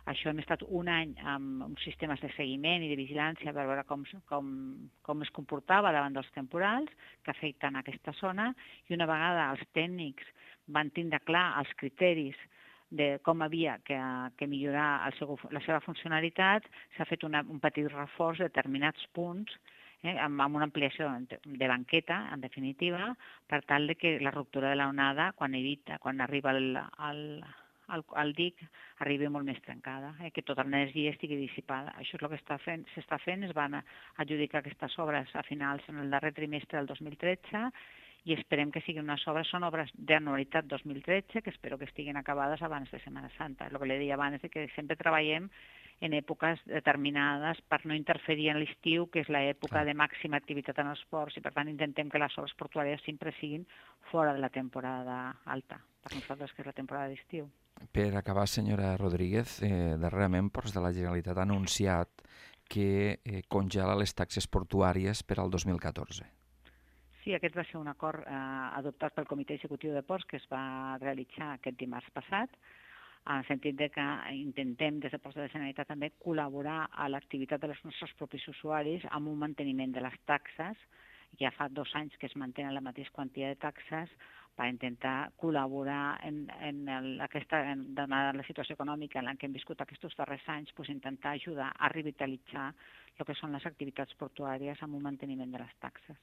Això hem estat un any amb uns sistemes de seguiment i de vigilància per veure com, com, com es comportava davant dels temporals que afecten aquesta zona, i una vegada els tècnics van tindre clar els criteris de com havia que, que millorar el seu, la seva funcionalitat, s'ha fet una, un petit reforç de determinats punts eh, amb, amb una ampliació de banqueta, en definitiva, per tal de que la ruptura de l'onada, quan evita, quan arriba al, al, al, al dic, arribi molt més trencada, eh, que tota l'energia estigui dissipada. Això és el que s'està fent, s'està fent, es van adjudicar aquestes obres a finals en el darrer trimestre del dos mil tretze, i esperem que siguin unes obres, són obres d'anualitat dos mil tretze, que espero que estiguin acabades abans de Setmana Santa. El que li deia abans és que sempre treballem en èpoques determinades per no interferir en l'estiu, que és l'època de màxima activitat en els ports, i per tant intentem que les obres portuàries sempre siguin fora de la temporada alta, per nosaltres que és la temporada d'estiu. Per acabar, senyora Rodríguez, eh, darrerament Ports de la Generalitat ha anunciat que eh, congela les taxes portuàries per al dos mil catorze. Sí, aquest va ser un acord eh, adoptat pel Comitè Executiu de Ports que es va realitzar aquest dimarts passat, en el sentit de que intentem des de Ports de la Generalitat també col·laborar a l'activitat dels nostres propis usuaris amb un manteniment de les taxes. Ja fa dos anys que es mantenen la mateixa quantitat de taxes per intentar col·laborar en, en, el, aquesta, en la situació econòmica en la que hem viscut aquests darrers anys, pues intentar ajudar a revitalitzar el que són les activitats portuàries amb un manteniment de les taxes.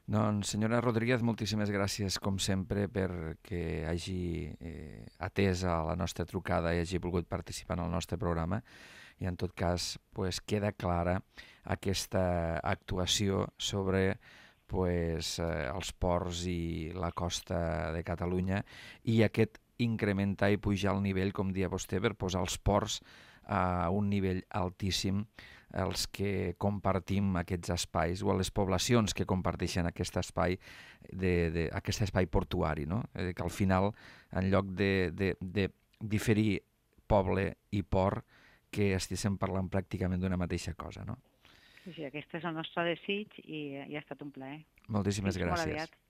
Doncs, senyora Rodríguez, moltíssimes gràcies, com sempre, perquè hagi eh, atès a la nostra trucada i hagi volgut participar en el nostre programa. I, en tot cas, pues, queda clara aquesta actuació sobre pues, eh, els ports i la costa de Catalunya i aquest incrementar i pujar el nivell, com dia vostè, per posar els ports a un nivell altíssim, els que compartim aquests espais o les poblacions que comparteixen aquest espai, de, de, aquest espai portuari, no? Eh, que al final, en lloc de, de, de diferir poble i port, que estiguéssim parlant pràcticament d'una mateixa cosa, no? Sí, sí, aquest és el nostre desig i, i ha estat un plaer. Moltíssimes Fins gràcies. molt aviat.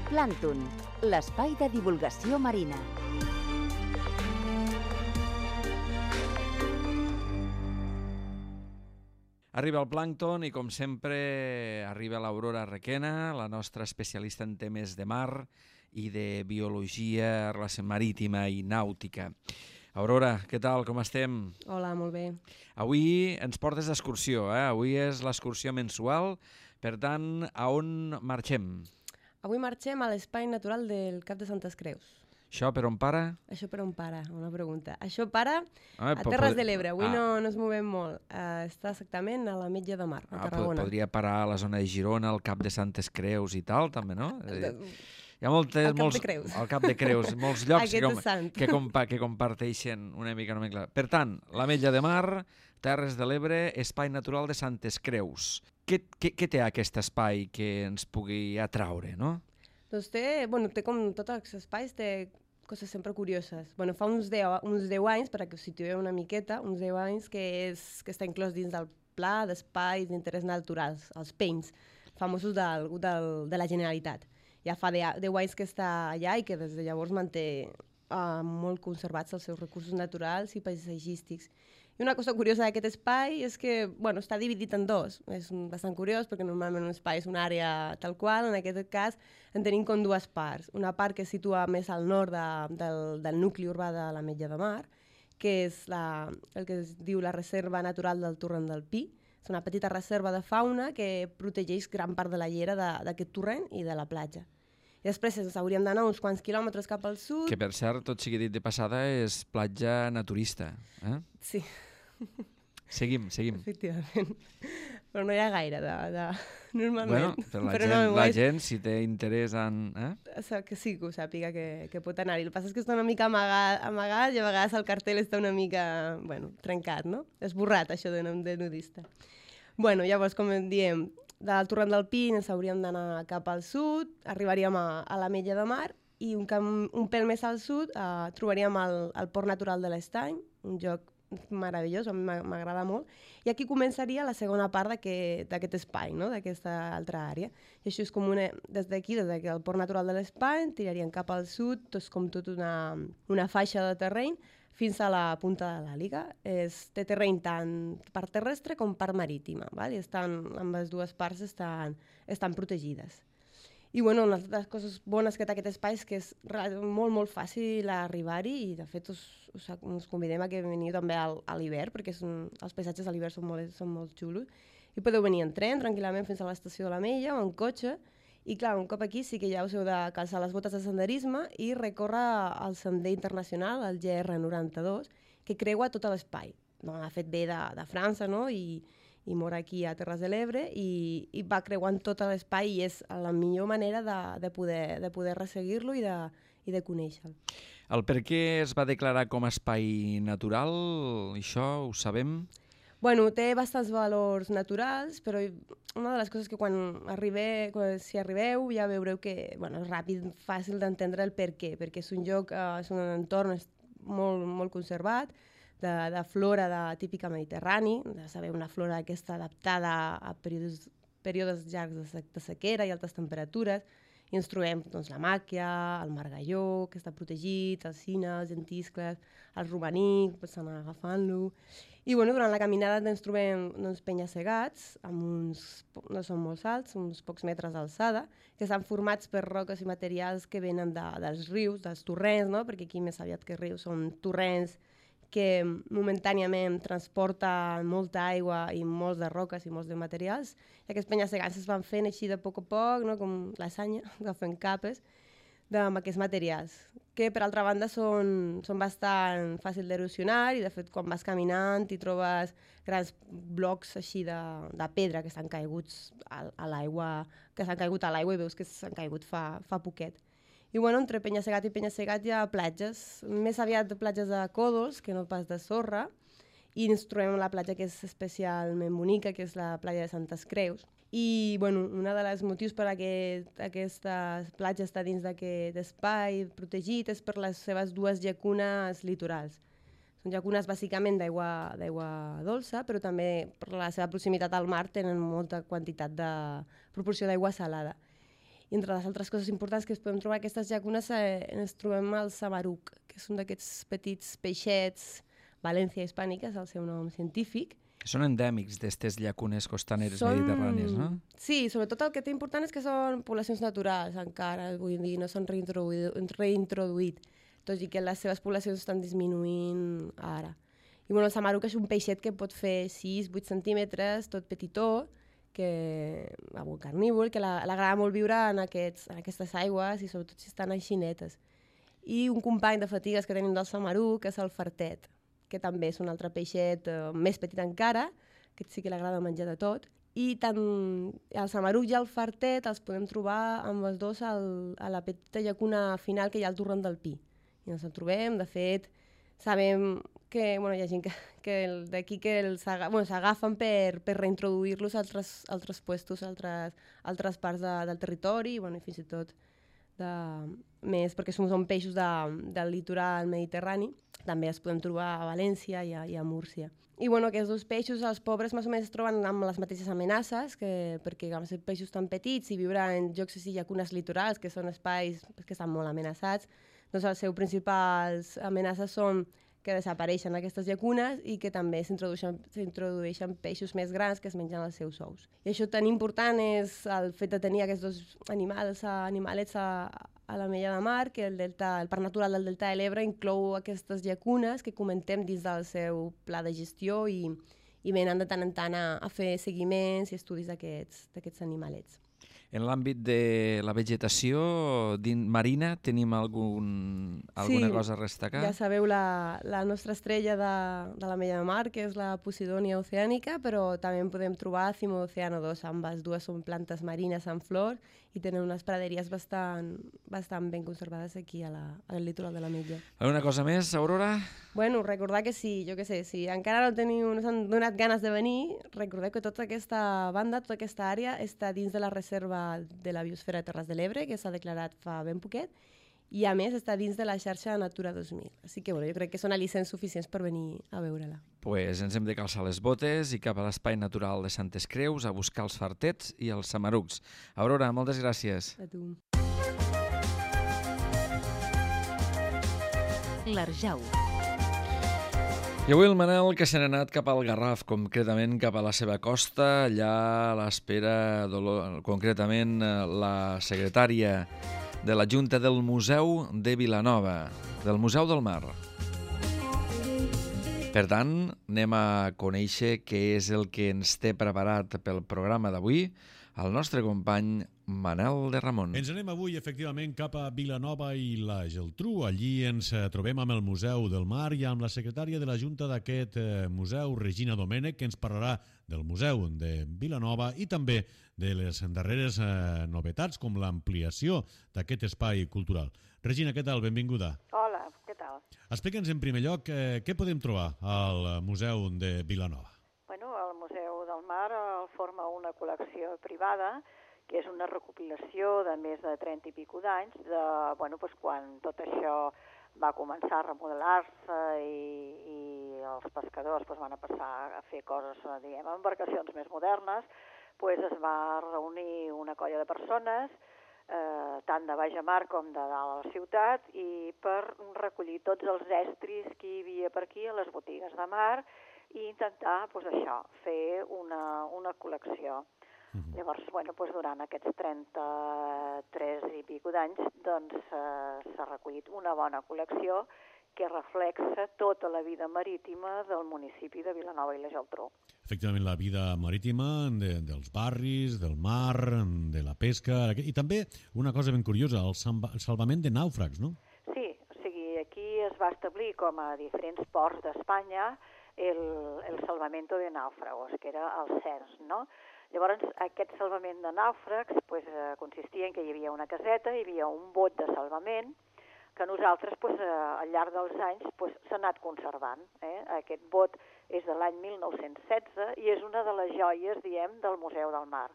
Plàncton, l'espai de divulgació marina. Arriba el plàncton i, com sempre, arriba l'Aurora Requena, la nostra especialista en temes de mar i de biologia, relació marítima i nàutica. Aurora, què tal? Com estem? Hola, molt bé. Avui ens portes d'excursió, eh? Avui és l'excursió mensual, per tant, a on marxem? Avui marxem a l'espai natural del Cap de Santes Creus. Això per on para? Això per on para? Una pregunta. Això para Ah, a po- Terres pod- de l'Ebre. Avui ah. no, no ens movem molt. Uh, està exactament a l'Ametlla de Mar, a Ah, po- Tarragona. podria parar a la zona de Girona, al Cap de Santes Creus i tal, també, no? Eh, De- Hi ha moltes, Al Cap molts, de Creus. Al Cap de Creus, molts llocs que, Aquest com, és sant. que, compa, que comparteixen una mica nomenclatura. Per tant, l'Ametlla de Mar, Terres de l'Ebre, Espai Natural de Santes Creus. Què, què, què té aquest espai que ens pugui atraure, no? Doncs té, bueno, té com tots els espais, té coses sempre curioses. Bueno, fa uns deu, uns deu anys, perquè us situeu una miqueta, uns deu anys que, és, que està inclòs dins del Pla d'Espais d'Interès Naturals, els P E I N S, famosos del, del, de la Generalitat. Ja fa deu anys que està allà i que des de llavors manté uh, molt conservats els seus recursos naturals i paisatgístics. I una cosa curiosa d'aquest espai és que bueno, està dividit en dos. És bastant curiós perquè normalment un espai és una àrea tal qual, en aquest cas en tenim com dues parts. Una part que es situa més al nord de, del, del nucli urbà de l'Ametlla de Mar, que és la, el que es diu la Reserva Natural del Torrent del Pi. És una petita reserva de fauna que protegeix gran part de la llera d'aquest torrent i de la platja. I després ens hauríem d'anar uns quants quilòmetres cap al sud. Que, per cert, tot sigui dit de passada, és platja naturista. Eh? Sí. Seguim, seguim. Efectivament. Però no hi ha gaire de... de... Normalment. Bueno, per la, Però gent, no, la és... gent, si té interès en... Eh? Que sí que ho sàpiga que, que pot anar-hi. El que passa és que està una mica amagat, amagat i a vegades el cartell està una mica, bueno, trencat, no? Esborrat, això de, de nudista. Bueno, llavors, com diem, del Torrent del Pi ens hauríem d'anar cap al sud, arribaríem a, a l'Ametlla de Mar i un, camp, un pèl més al sud eh, trobaríem el, el Port Natural de l'Estany, un lloc meravellós, a mi m'agrada molt, i aquí començaria la segona part d'aquest espai, no? D'aquesta altra àrea. I això és com una, des d'aquí, des del Port Natural de l'Estany, tiraríem cap al sud, tot com tot una, una faixa de terreny, fins a la punta de l'Àliga. Té terreny tant per terrestre com per marítima, val? I estan, amb les dues parts estan, estan protegides. I bueno, una de les coses bones que té aquest espai és que és molt, molt fàcil arribar-hi i de fet us, us, us convidem a que veniu també al, a l'hivern, perquè un, els paisatges a l'hivern són, molt, són molt xulos. I podeu venir en tren tranquil·lament fins a l'estació de l'Ametlla o en cotxe. I clar, un cop aquí sí que ja us heu de calçar les botes de senderisme i recórrer el sender internacional, el G R noranta-dos, que creua tot l'espai. No, ha fet bé de, de França, no?, i, i mor aquí a Terres de l'Ebre i, i va creuant tot l'espai i és la millor manera de, de poder, de poder resseguir-lo i de, i de conèixer-lo. El per què es va declarar com a espai natural, això ho sabem? Bueno, té bastants valors naturals, però una de les coses que quan, arribe, quan si arribeu ja veureu que bueno, és ràpid, fàcil d'entendre el per què, perquè és un lloc, eh, és un entorn molt, molt conservat, de, de flora de, típica mediterrani, de saber una flora aquesta adaptada a períodes, períodes llargs de, sec, de sequera i altes temperatures, i ens trobem doncs, la màquia, el margalló, que està protegit, els cines, els gentiscles, el romaní, pots anar agafant-lo. I bueno, durant la caminada ens trobem doncs, penya-segats, amb uns, no són molt alts, uns pocs metres d'alçada, que estan formats per roques i materials que venen de, dels rius, dels torrents, no? Perquè aquí més aviat que rius són torrents que momentàniament transporten molta aigua i molts de roques i molts de materials. I aquests penya-segats es van fent així de poc a poc, no? Com lasanya, agafen capes amb aquests materials, que per altra banda són, són bastant fàcils d'erosionar i de fet quan vas caminant i trobes grans blocs així de, de pedra que estan caiguts a, a l'aigua, que s'han caigut a l'aigua i veus que s'han caigut fa, fa poquet. I bueno, entre penya-segat i penya-segat hi ha platges, més aviat platges de còdols que no pas de sorra, i ens trobem la platja que és especialment bonica, que és la platja de Santes Creus. I bueno, un dels motius per a que aquesta platja està dins d'aquest espai protegit és per les seves dues llacunes litorals. Són llacunes bàsicament d'aigua dolça, però també per la seva proximitat al mar tenen molta quantitat de proporció d'aigua salada. I entre les altres coses importants que es podem trobar aquestes llacunes eh, ens trobem el samaruc, que és un d'aquests petits peixets, València hispànica és el seu nom científic. Són endèmics d'aquestes llacunes costaneres són... mediterrànies, no? Sí, sobretot el que té important és que són poblacions naturals encara, vull dir, no s'han reintroduït, reintroduït, tot i que les seves poblacions estan disminuint ara. I bueno, el samaruc és un peixet que pot fer sis vuit centímetres, tot petitó, que un carnívor, que l'agrada molt viure en, aquests, en aquestes aigües i sobretot si estan així netes. i un company de fatigues que tenim del Samaruc, que és el fartet, que també és un altre peixet eh, més petit encara, que sí que li agrada menjar de tot, i tant el Samaruc i el fartet els podem trobar amb els dos al, a la petita llacuna final que hi ha al torrent del Pi. I ens en trobem, de fet, sabem que bueno, hi ha gent que, que d'aquí que s'agafen bueno, per, per reintroduir-los a altres, altres puestos, a altres, altres parts de, del territori, i, bueno, i fins i tot de, més, perquè som, són peixos de, del litoral mediterrani, també els podem trobar a València i a, i a Múrcia. I bueno, aquests dos peixos, els pobres més o menys es troben amb les mateixes amenaces, que, perquè amb ser peixos tan petits i viure en llocs així, llacunes litorals, que són espais que estan molt amenaçats, doncs les seves principals amenaces són que desapareixen aquestes llacunes i que també s'introdueixen peixos més grans que es mengen els seus ous. I això tan important és el fet de tenir aquests dos animals, animalets a, a la Mella de Mar, que el, delta, el Parc Natural del Delta de l'Ebre inclou aquestes llacunes que comentem dins del seu pla de gestió i, i venen de tant en tant a, a fer seguiments i estudis d'aquests animalets. En l'àmbit de la vegetació marina tenim algun, alguna sí, cosa a destacar? Ja sabeu la, la nostra estrella de, de la Mella de Mar, que és la Posidònia oceànica, però també en podem trobar Cimodoceno dos, ambes dues són plantes marines en flor i tenen unes praderies bastant, bastant ben conservades aquí a la, al litoral de la Mella. Alguna cosa més, Aurora? Bueno, recordar que sí, jo què sé, si encara no teniu, no s'han donat ganes de venir, recordeu que tota aquesta banda, tota aquesta àrea està dins de la reserva de la biosfera de Terres de l'Ebre, que s'ha declarat fa ben poquet, i a més està dins de la xarxa Natura dos mil. Així que bueno, jo crec que són al·licents suficients per venir a veure-la. Pues ens hem de calçar les botes i cap a l'Espai Natural de Santes Creus a buscar els fartets i els samarucs. Aurora, moltes gràcies. A tu. L'Arjau. I avui el Manel, que se n'ha anat cap al Garraf, concretament cap a la seva costa, allà a l'espera, concretament la secretària de la Junta del Museu de Vilanova, del Museu del Mar. Per tant, anem a conèixer què és el que ens té preparat pel programa d'avui el nostre company Manel de Ramon. Ens anem avui, efectivament, cap a Vilanova i la Geltrú. Allí ens trobem amb el Museu del Mar i amb la secretària de la Junta d'aquest museu, Regina Domènech, que ens parlarà del Museu de Vilanova i també de les darreres novetats, com l'ampliació d'aquest espai cultural. Regina, què tal? Benvinguda. Hola, què tal? Explica'ns en primer lloc eh, què podem trobar al Museu de Vilanova. Bueno, el Museu del Mar el forma una col·lecció privada que és una recopilació de més de trenta i pico d'anys, de, bueno, doncs quan tot això va començar a remodelar-se i, i els pescadors doncs, van a passar a fer coses, diguem, embarcacions més modernes, doncs es va reunir una colla de persones, eh, tant de baix a mar com de dalt a la ciutat, i per recollir tots els estris que hi havia per aquí a les botigues de mar i intentar, doncs això, fer una, una col·lecció. Uh-huh. Llavors, bueno, doncs durant aquests trenta-tres i pico d'anys doncs, eh, s'ha recollit una bona col·lecció que reflexa tota la vida marítima del municipi de Vilanova i la Geltrú. Efectivament, la vida marítima de, dels barris, del mar, de la pesca, i també una cosa ben curiosa, el, el salvament de nàufrags, no? Sí, o sigui, aquí es va establir com a diferents ports d'Espanya el, el salvamento de náufragos, que era el C E R S, no? Llavors, aquest salvament de nàufrags pues, eh, consistia en que hi havia una caseta, hi havia un bot de salvament, que nosaltres pues, eh, al llarg dels anys pues, s'ha anat conservant. Eh? Aquest bot és de l'any mil nou-cents setze i és una de les joies, diem, del Museu del Mar.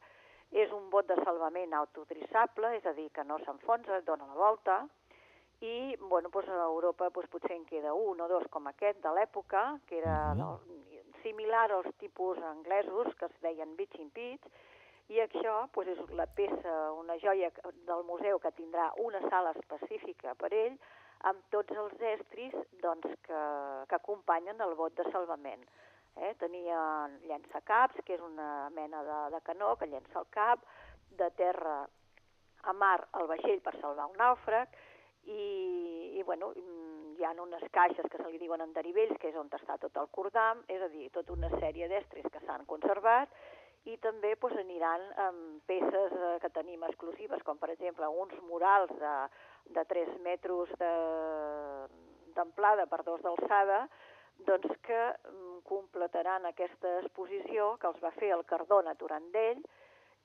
És un bot de salvament autotrissable, és a dir, que no s'enfonsa, dona la volta, i bueno, pues, a Europa pues, potser en queda un o dos com aquest de l'època, que era uh-huh. similar als tipus anglesos, que es deien Beach in Pitch, i això pues, és la peça, una joia del museu que tindrà una sala específica per ell, amb tots els estris doncs, que, que acompanyen el bot de salvament. Eh? Tenia llançacaps, que és una mena de, de canó que llença el cap, de terra a mar el vaixell per salvar un nàufrag, i, i bueno, hi ha unes caixes que se li diuen en derivells, que és on està tot el cordam, és a dir, tota una sèrie d'estris que s'han conservat, i també doncs, aniran amb peces eh, que tenim exclusives, com per exemple uns murals de, de tres metres d'amplada per dos d'alçada, doncs que mm, completaran aquesta exposició que els va fer el Cardona Turandell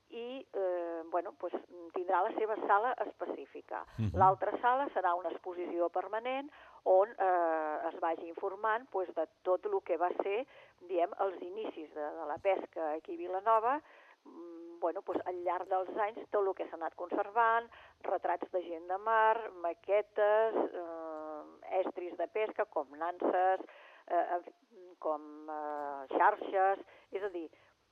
i eh, bueno, pues, tindrà la seva sala específica. Uh-huh. L'altra sala serà una exposició permanent on eh, es vagi informant pues, de tot el que va ser diem, els inicis de, de la pesca aquí a Vilanova, mm, bueno, pues, al llarg dels anys tot el que s'ha anat conservant, retrats de gent de mar, maquetes, eh, estris de pesca com nanses, eh, com eh, xarxes, és a dir,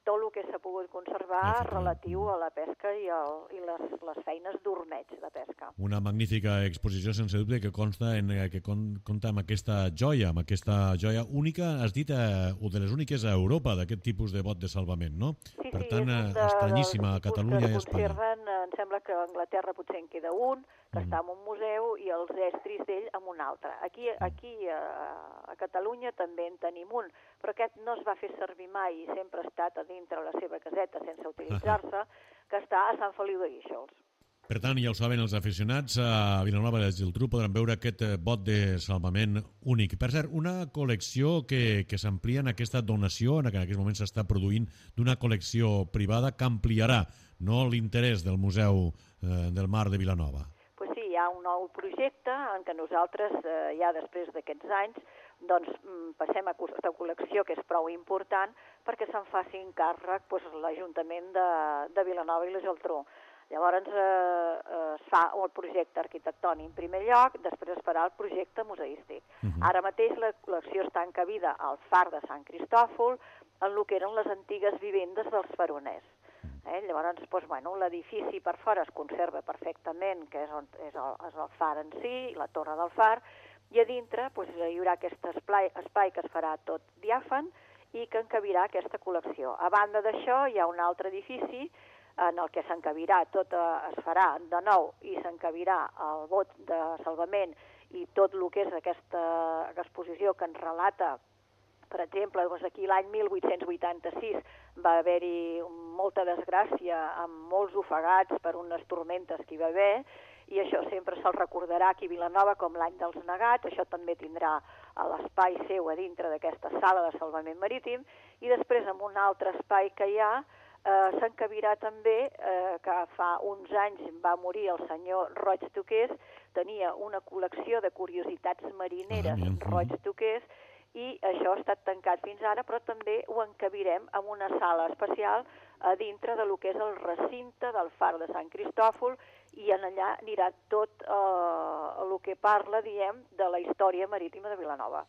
tot el que s'ha pogut conservar relatiu a la pesca i, el, i les, les feines d'ormeig de pesca. Una magnífica exposició, sense dubte, que consta en, que compta amb aquesta joia, amb aquesta joia única, has dit, eh, o de les úniques a Europa, d'aquest tipus de bot de salvament, no? Sí, per sí, tant, és un de, estranyíssima a Catalunya i a Espanya. Conserven, em sembla que a Anglaterra potser en queda un, que mm. està en un museu, i els estris d'ell en un altre. Aquí, aquí a, a Catalunya també en tenim un, però aquest no es va fer servir mai i sempre ha estat a dintre la seva caseta sense utilitzar-se, que està a Sant Feliu de Guíxols. Per tant, ja ho saben els aficionats, a Vilanova i la Geltrú podran veure aquest bot de salvament únic. Per cert, una col·lecció que, que s'amplia en aquesta donació, en què en aquest moment s'està produint d'una col·lecció privada que ampliarà no l'interès del Museu eh, del Mar de Vilanova. Pues sí, hi ha un nou projecte en què nosaltres, eh, ja després d'aquests anys, doncs passem a aquesta col·lecció, que és prou important, perquè se'n faci càrrec pues, l'Ajuntament de, de Vilanova i la Geltrú. Llavors eh, eh, es fa el projecte arquitectònic en primer lloc, després es farà el projecte museístic. Uh-huh. Ara mateix la col·lecció està encabida al far de Sant Cristòfol, en el que eren les antigues vivendes dels faroners. Eh? Llavors, doncs, bueno, l'edifici per fora es conserva perfectament, que és, on, és, el, és el far en si, la torre del far, i a dintre doncs, hi haurà aquest espai, espai que es farà tot diàfan i que encabirà aquesta col·lecció. A banda d'això, hi ha un altre edifici en el que s'encabirà tot, es farà de nou i s'encabirà el bot de salvament i tot el que és aquesta exposició que ens relata, per exemple, doncs aquí l'any mil vuit-cents vuitanta-sis va haver-hi molta desgràcia amb molts ofegats per unes tormentes que hi va haver, i això sempre se'l recordarà aquí a Vilanova com l'any dels negats. Això també tindrà l'espai seu a dintre d'aquesta sala de salvament marítim, i després en un altre espai que hi ha eh, s'encabirà també, eh, que fa uns anys va morir el senyor Roig Toqués, tenia una col·lecció de curiositats marineres ah, Roig Toqués, i això ha estat tancat fins ara, però també ho encabirem en una sala especial a dintre de lo que és el recinte del far de Sant Cristòfol, i en allà anirà tot eh, el que parla, diem, de la història marítima de Vilanova.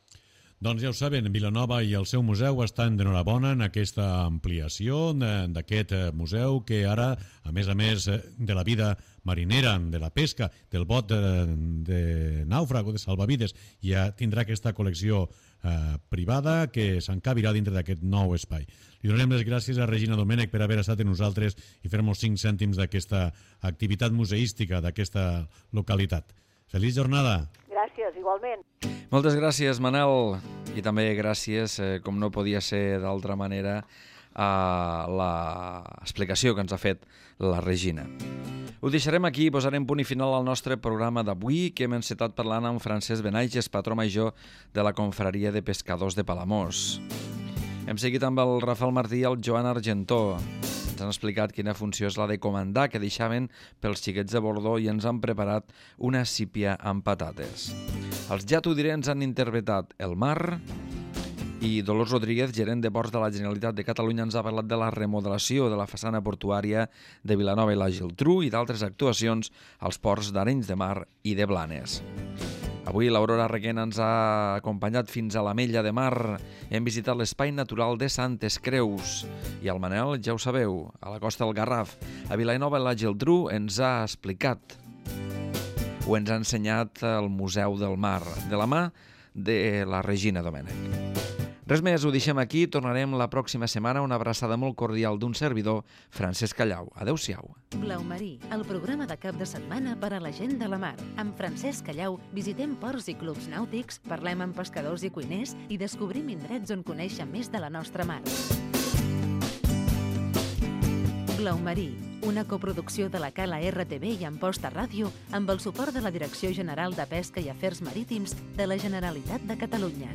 Doncs ja ho saben, Vilanova i el seu museu estan d'enhorabona en aquesta ampliació d'aquest museu que ara, a més a més de la vida marinera, de la pesca, del bot de, de nàufrag o de salvavides, ja tindrà aquesta col·lecció eh, privada que s'encabirà dintre d'aquest nou espai. Li donem les gràcies a Regina Domènech per haver estat amb nosaltres i fer-nos cinc cèntims d'aquesta activitat museística d'aquesta localitat. Feliç jornada! Gràcies, igualment. Moltes gràcies, Manel, i també gràcies, eh, com no podia ser d'altra manera, a l'explicació que ens ha fet la Regina. Ho deixarem aquí i posarem punt i final al nostre programa d'avui, que hem encetat parlant amb Francesc Benaiges, patró major de la Confraria de Pescadors de Palamós. Hem seguit amb el Rafael Martí i el Joan Argentó. Ens han explicat quina funció és la de comandar que deixaven pels xiquets de Bordó i ens han preparat una sípia amb patates. Els Ja t'ho diré ens han interpretat El mar, i Dolors Rodríguez, gerent de ports de la Generalitat de Catalunya, ens ha parlat de la remodelació de la façana portuària de Vilanova i la Geltrú i d'altres actuacions als ports d'Arenys de Mar i de Blanes. Avui l'Aurora Requena ens ha acompanyat fins a l'Ametlla de Mar. Hem visitat l'espai natural de Santes Creus. I el Manel, ja ho sabeu, a la costa del Garraf. A Vilanova i la Geltrú ens ha explicat o ens ha ensenyat el Museu del Mar, de la mà de la Regina Domènech. Res més, ho deixem aquí. Tornarem la pròxima setmana. Una abraçada molt cordial d'un servidor, Francesc Callau. Adéu-siau. Blau Marí, el programa de cap de setmana per a la gent de la mar. Amb Francesc Callau visitem ports i clubs nàutics, parlem amb pescadors i cuiners i descobrim indrets on conèixer més de la nostra mar. Blau Marí, una coproducció de la Cala R T V i Amposta Ràdio amb el suport de la Direcció General de Pesca i Afers Marítims de la Generalitat de Catalunya.